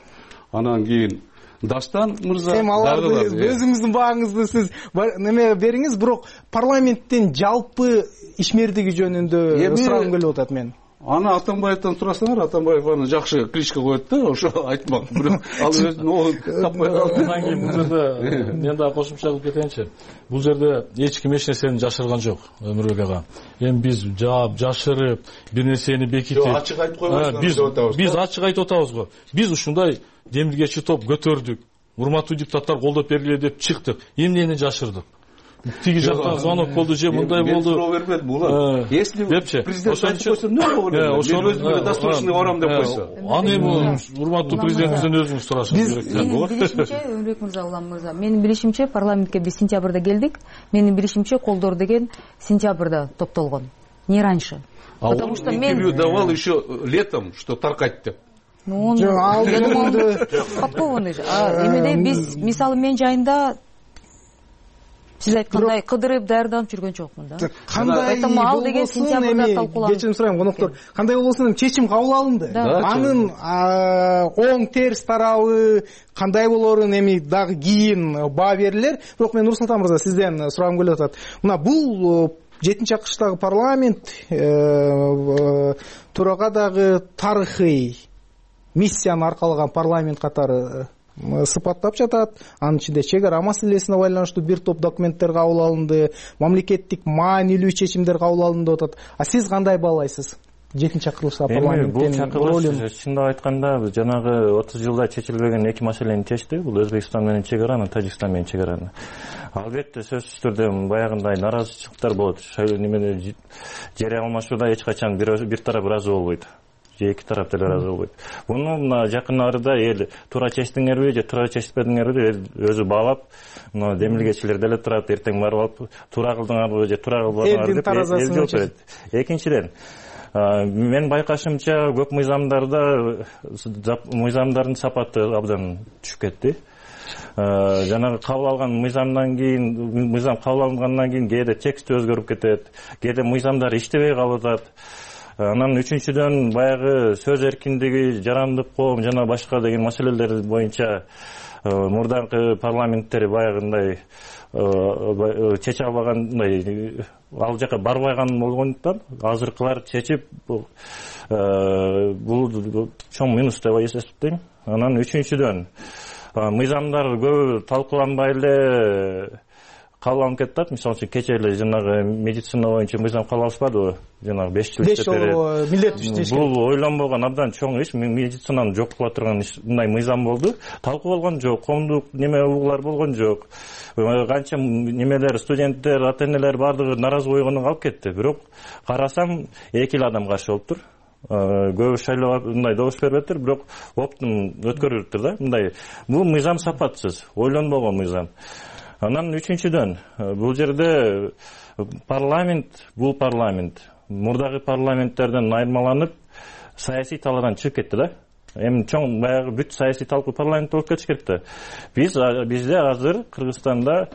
анан кийин Дастан мырза. Эми аларды өзүңүздүн бааңызды сиз неме бериңиз, бирок парламенттин жалпы ишмердиги жөнүндө сурагым келип атат мен. Аны Атамбаевден сурасаңар, Атамбаев аны жакшы кличка коет да, ошо айтмак. Бирок ал өзүнүн оогун таппай калды. Андан кийин бул жерде мен дагы кошумча кылып кетейинчи. Бул жерде эч ким эч нерсени жашырган жок, Өмүрбек ага. Эми биз жашырып, бир нерсени бекитип, ачык айтып койбойсуңар. Биз ачык айтып атабыз го. Биз ушундай демилгечи топ көтөрдүк. Урматтуу депутаттар колдоп бергиле деп чыктык. Эмнени жашырдык? Тиги жактан звонок болду же мындай болду. Мен суроо бербедим булар. Если президент айтып койсо эмне болот? Мен өзүмө дастурчуна барам деп койсо. Аны эми урматтуу президентибизден өзүңүз сурашыңыз керек. Менин билишимче, Өмүрбек мырза, Улам мырза, менин билишимче парламентке биз сентябрда келдик. Менин билишимче колдор деген сентябрда топтолгон. Не раньше. Потому что мен интервью давал еще летом, что таркать деп. Ну, я думаю, подкованный же. Эмеде биз, мисалы, мен жайында сиз айткандай кыдырып даярданып жүргөн жокмун да. Поэтому ал деген сентябрда талкууланды. Кечирим сурайм, коноктор. Кандай болбосун чечим кабыл алынды. Анын оң терс тарабы кандай болорун эми дагы кийин баа берилер. Бирок мен Нурсултан мырза сизден сурагым келип атат. Мына бул 7-чакырыштагы парламент турага дагы тарыхый миссияны аркалаган парламент катары сыпаттап жатат. Анын ичинде чек ара маселесине байланыштуу бир топ документтер кабыл алынды, мамлекеттик маанилүү чечимдер кабыл алынды деп атат. А сиз кандай баалайсыз? 7-чакырылышта парламенттин ролун? Чындап айтканда, жанагы 30 жылда чечилбеген 2 маселени чечти. Бул Өзбекстан менен чек араны, Тажикстан менен чек араны. Албетте сөзсүз түрдө баягындай наразычылыктар болот. Немеде жер алмашууда эч качан бир тарап ыраазы болбойт. Же 2 тарап деле ыраазы болбойт. Буну мына жакын арада эл туура чечтиңерби же туура чечпедиңерби деп өзү баалап, мына демилгечилер деле турат, эртең барып алып туура кылдыңарбы же туура кылбадыңарбы деп эл жооп берет. Экинчиден, мен байкашымча көп мыйзамдардын сапаты абдан түшүп кетти. Жанагы кабыл алган мыйзам кабыл алынгандан кийин кээде текст өзгөрүп кетет, кээде мыйзамдар иштебей калып атат. Анан үчүнчүдөн баягы сөз эркиндиги, жарандык коом жана башка деген маселелер боюнча мурдагы парламенттер баягындай чече албагандай, ал жака барбаган болгондуктан азыркылар чечип бул чоң минус деп эсептейм. Анан үчүнчүдөн мыйзамдар көп талкууланбай эле кабыл алынып кетип, мисалы үчүн кече эле жанагы медицина боюнча мыйзам кабыл алышпадыбы? Жанагы 5 жыл иштеп берет. Милдеттүү иштеш керек. Бул ойлонбогон абдан чоң иш, медицинаны жок кыла турган мындай мыйзам болду. Талкууланган жок, коомдук неме угуулар болгон жок. Канча немелер, студенттер, ата-энелер бардыгы наразы койгондон калып кетти. Бирок карасам 2 адам каршы болуптур. Көбү шайлоого мындай добуш бербептир, бирок оптун өткөрүлүптүр да. Мындай бул мыйзам сапатсыз, ойлонбогон мыйзам. Анан үчүнчүдөн бул жерде бул парламент мурдагы парламенттерден айырмаланып саясий талаардан чыгып кетти да. Эми чоң баягы бүт саясий талкуу парламент болуп кетиш керек да. Бизде азыр Кыргызстанда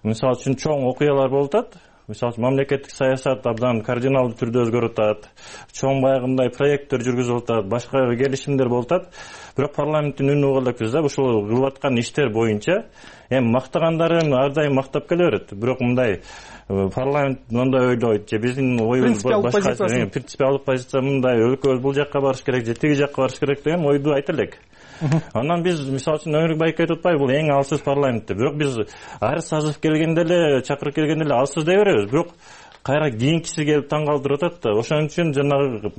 мисалы үчүн чоң окуялар болуп атат. Мисалы үчүн мамлекеттик саясат абдан кардиналдуу түрдө өзгөрүп атат. Чоң баягы мындай проекттер жүргүзүлүп атат, башка келишимдер болуп атат. Бирок парламенттин үнү угула элекпиз да. Ушул кылып аткан иштер боюнча эми мактагандарын ар дайым мактап келе берет. Бирок мындай парламент мындай ойлойт же биздин оюбуз башка, принципиалдык позиция мындай, өлкөбүз бул жакка барыш керек же тиги жакка барыш керек деген ойду айта элек. Анан биз мисалы үчүн Өмүрбек байке айтып атпайбы, бул эң алсыз парламент. Бирок биз ар сазыв келгенде эле, чакырып келгенде эле алсыз дей беребиз. Бирок кайра кийинкиси келип таң калтырып атат да. Ошон үчүн жанагы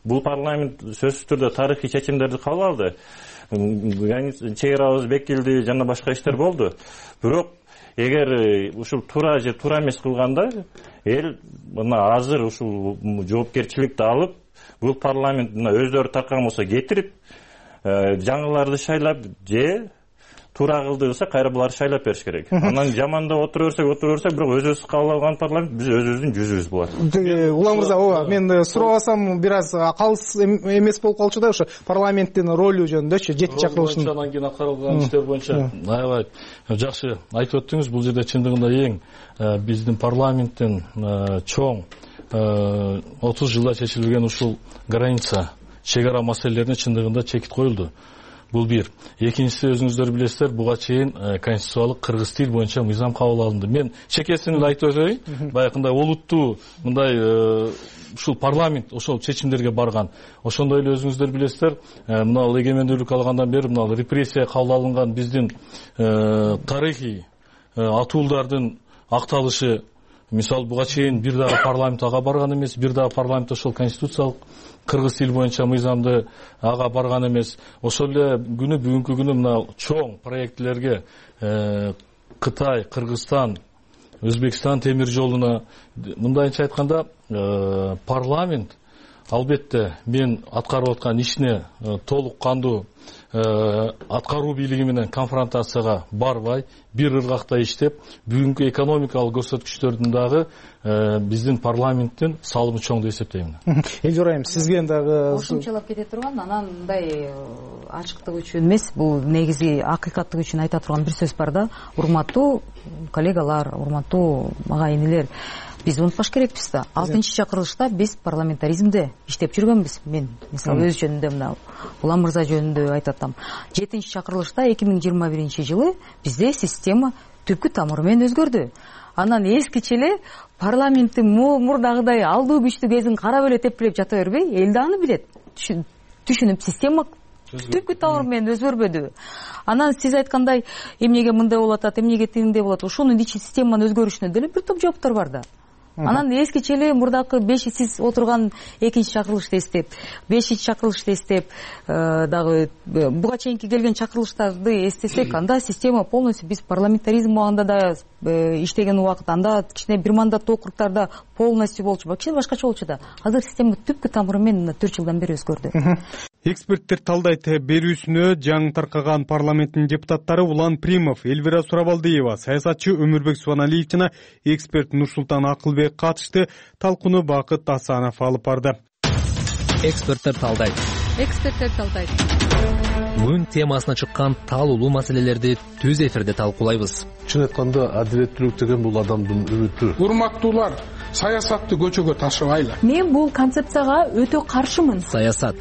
бул парламент сөзсүз түрдө тарыхый чечимдерди кабыл алды. Чек арабыз бекилди, жана башка иштер болду. Бирок эгер ушул туура же туура эмес кылганда эл мына азыр ушул жоопкерчиликти алып, бул парламент өздөрү таркаган болсо кетирип, жаңыларды шайлап же туура кылды десе кайра буларды шайлап бериш керек. Анан жамандап отура берсек, бирок өзүбүз кабыл алган парламент биз өзүбүздүн жүзүбүз болот. Улан мырза, ооба, мен сурабасам бир аз калыс эмес болуп калчу да, ошо парламенттин ролу жөнүндөчү, 7 чакырылыштын анан кийин аткарылган иштер боюнча. Аябай жакшы айтып өттүңүз. Бул жерде чындыгында эң биздин парламенттин чоң 30 жылда чечилген ушул граница, чек ара маселелерине чындыгында чекит коюлду. Бул бир. Экинчиси, өзүңүздөр билесиздер, буга чейин конституциялык кыргыз тил боюнча мыйзам кабыл алынды. Мен чекесин эле айтып өтөйүн. Баягындай олуттуу мындай ушул парламент ошол чечимдерге барган. Ошондой эле өзүңүздөр билесиздер, мына эгемендүүлүк алгандан бери мына репрессия кабыл алынган биздин тарыхый атуулдардын акталышы. Мисалы буга чейин бир дагы парламент ага барган эмес, бир дагы парламент ошол конституциялык кыргыз тил боюнча мыйзамды ага барган эмес. Ошол эле бүгүнкү күнү мына чоң проектлерге Кытай, Кыргызстан, Өзбекстан темир жолуна мындайча айтканда парламент албетте мен аткарып аткан ишине толук кандуу аткаруу бийлиги менен конфронтацияга барбай, бир ыргакта иштеп, бүгүнкү экономикалык көрсөткүчтөрдүн дагы биздин парламенттин салымы чоң деп эсептейм. Элжур айым, сизге дагы кошумчалап кете турган, анан мындай ачыктык үчүн эмес, бул негизи акыйкаттык үчүн айта турган бир сөз бар да. Урматтуу коллегалар, урматтуу ага-инилер, биз унутпаш керекпиз да. 6-чакырылышта биз парламентаризмде иштеп жүргөнбүз. Мен мисалы өз жөнүндө мына Улан мырза жөнүндө айтып атам. 7-чакырылышта 2021 жылы бизде система түпкү тамыры менен өзгөрдү. Анан эскиче эле парламенттин мурдагыдай алдуу күчтүү кезин карап эле тепкилеп жата бербей, эл да аны билет. Түшүнүп, система түпкү тамыры менен өзгөрбөдү. Анан сиз айткандай, эмнеге мындай болуп атат, эмнеге тигиндей болот, ошонун ичи системанын өзгөрүшүнө деле бир топ жооптор бар да. Анан эскиче эле мурдакы 5 сиз отурган 2-чакырылышты эстеп, 5-чакырылышты эстеп, дагы буга чейинки келген чакырылыштарды эстесек, анда система полностью биз парламентаризм убагында да иштеген убакыт, анда кичине бир мандаттуу округдарда полностью болчу, кичине башкача болчу да. Азыр система түпкү тамыры менен 4 жылдан бери өзгөрдү. Эксперттер талдайт. Берүүсүнө жаңы таркаган парламенттин депутаттары Улан Примов, Элвира Сурабалдиева, саясатчы Өмүрбек Субаналиев жана эксперт Нурсултан Акылбек катышты. Талкууну Бакыт Асанов алып барды. Эксперттер талдайт. Бүгүн темасына чыккан талуулуу маселелерди түз эфирде талкуулайбыз. Чын айтканда, адилеттүүлүк деген бул адамдын үмүтү. Урматтуулар, саясатты көчөгө ташыбайлы. Мен бул концепцияга өтө каршымын. Саясат,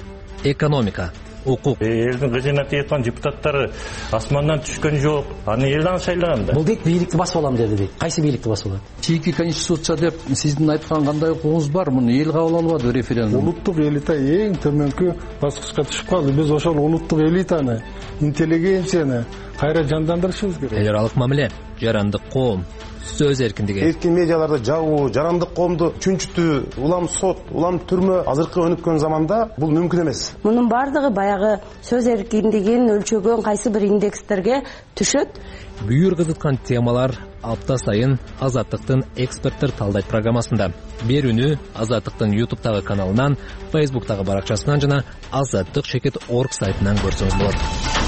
экономика, укук. Элдин кызына тийеткан депутаттары асмандан түшкөн жок. Аны элден шайлаган да. Бул дейт, бийликти басып алам деди дейт. Кайсы бийликти басып алат? Чийки конституция деп сиздин айткан кандай укугуңуз бар? Муну эл кабыл албады референдум. Улуттук элита эң төмөнкү баскычка түшүп калды. Биз ошол улуттук элитаны, интеллигенцияны кайра жандандырышыбыз керек. Эл аралык мамиле, жарандык коом, сөз эркиндиги. Эркин медиаларды жабуу, жарандык коомду чүнчүтүү, улам сот, улам түрмө азыркы өнүккөн заманда бул мүмкүн эмес. Мунун бардыгы баягы сөз эркиндигин өлчөгөн кайсы бир индекстерге түшөт. Бүйүр кызыткан темалар апта сайын Азаттыктын эксперттер талдайт программасында. Берүүнү Азаттыктын YouTube'тагы каналынан, Facebook'тагы баракчасынан жана azаттык.org сайтынан көрсөңүз болот.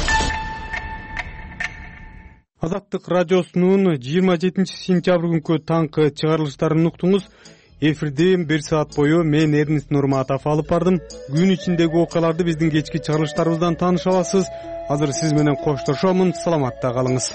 Азаттык радиосунун 27 сентябрь күнкү таңкы чыгарылыштарын уктуңуз. Эфирде 1 саат бою мен Эрнест Нурматов алып бардым. Күн ичиндеги окуяларды биздин кечки чыгарылыштарыбыздан тааныша аласыз. Азыр сиз менен коштошомун. Саламатта калыңыз.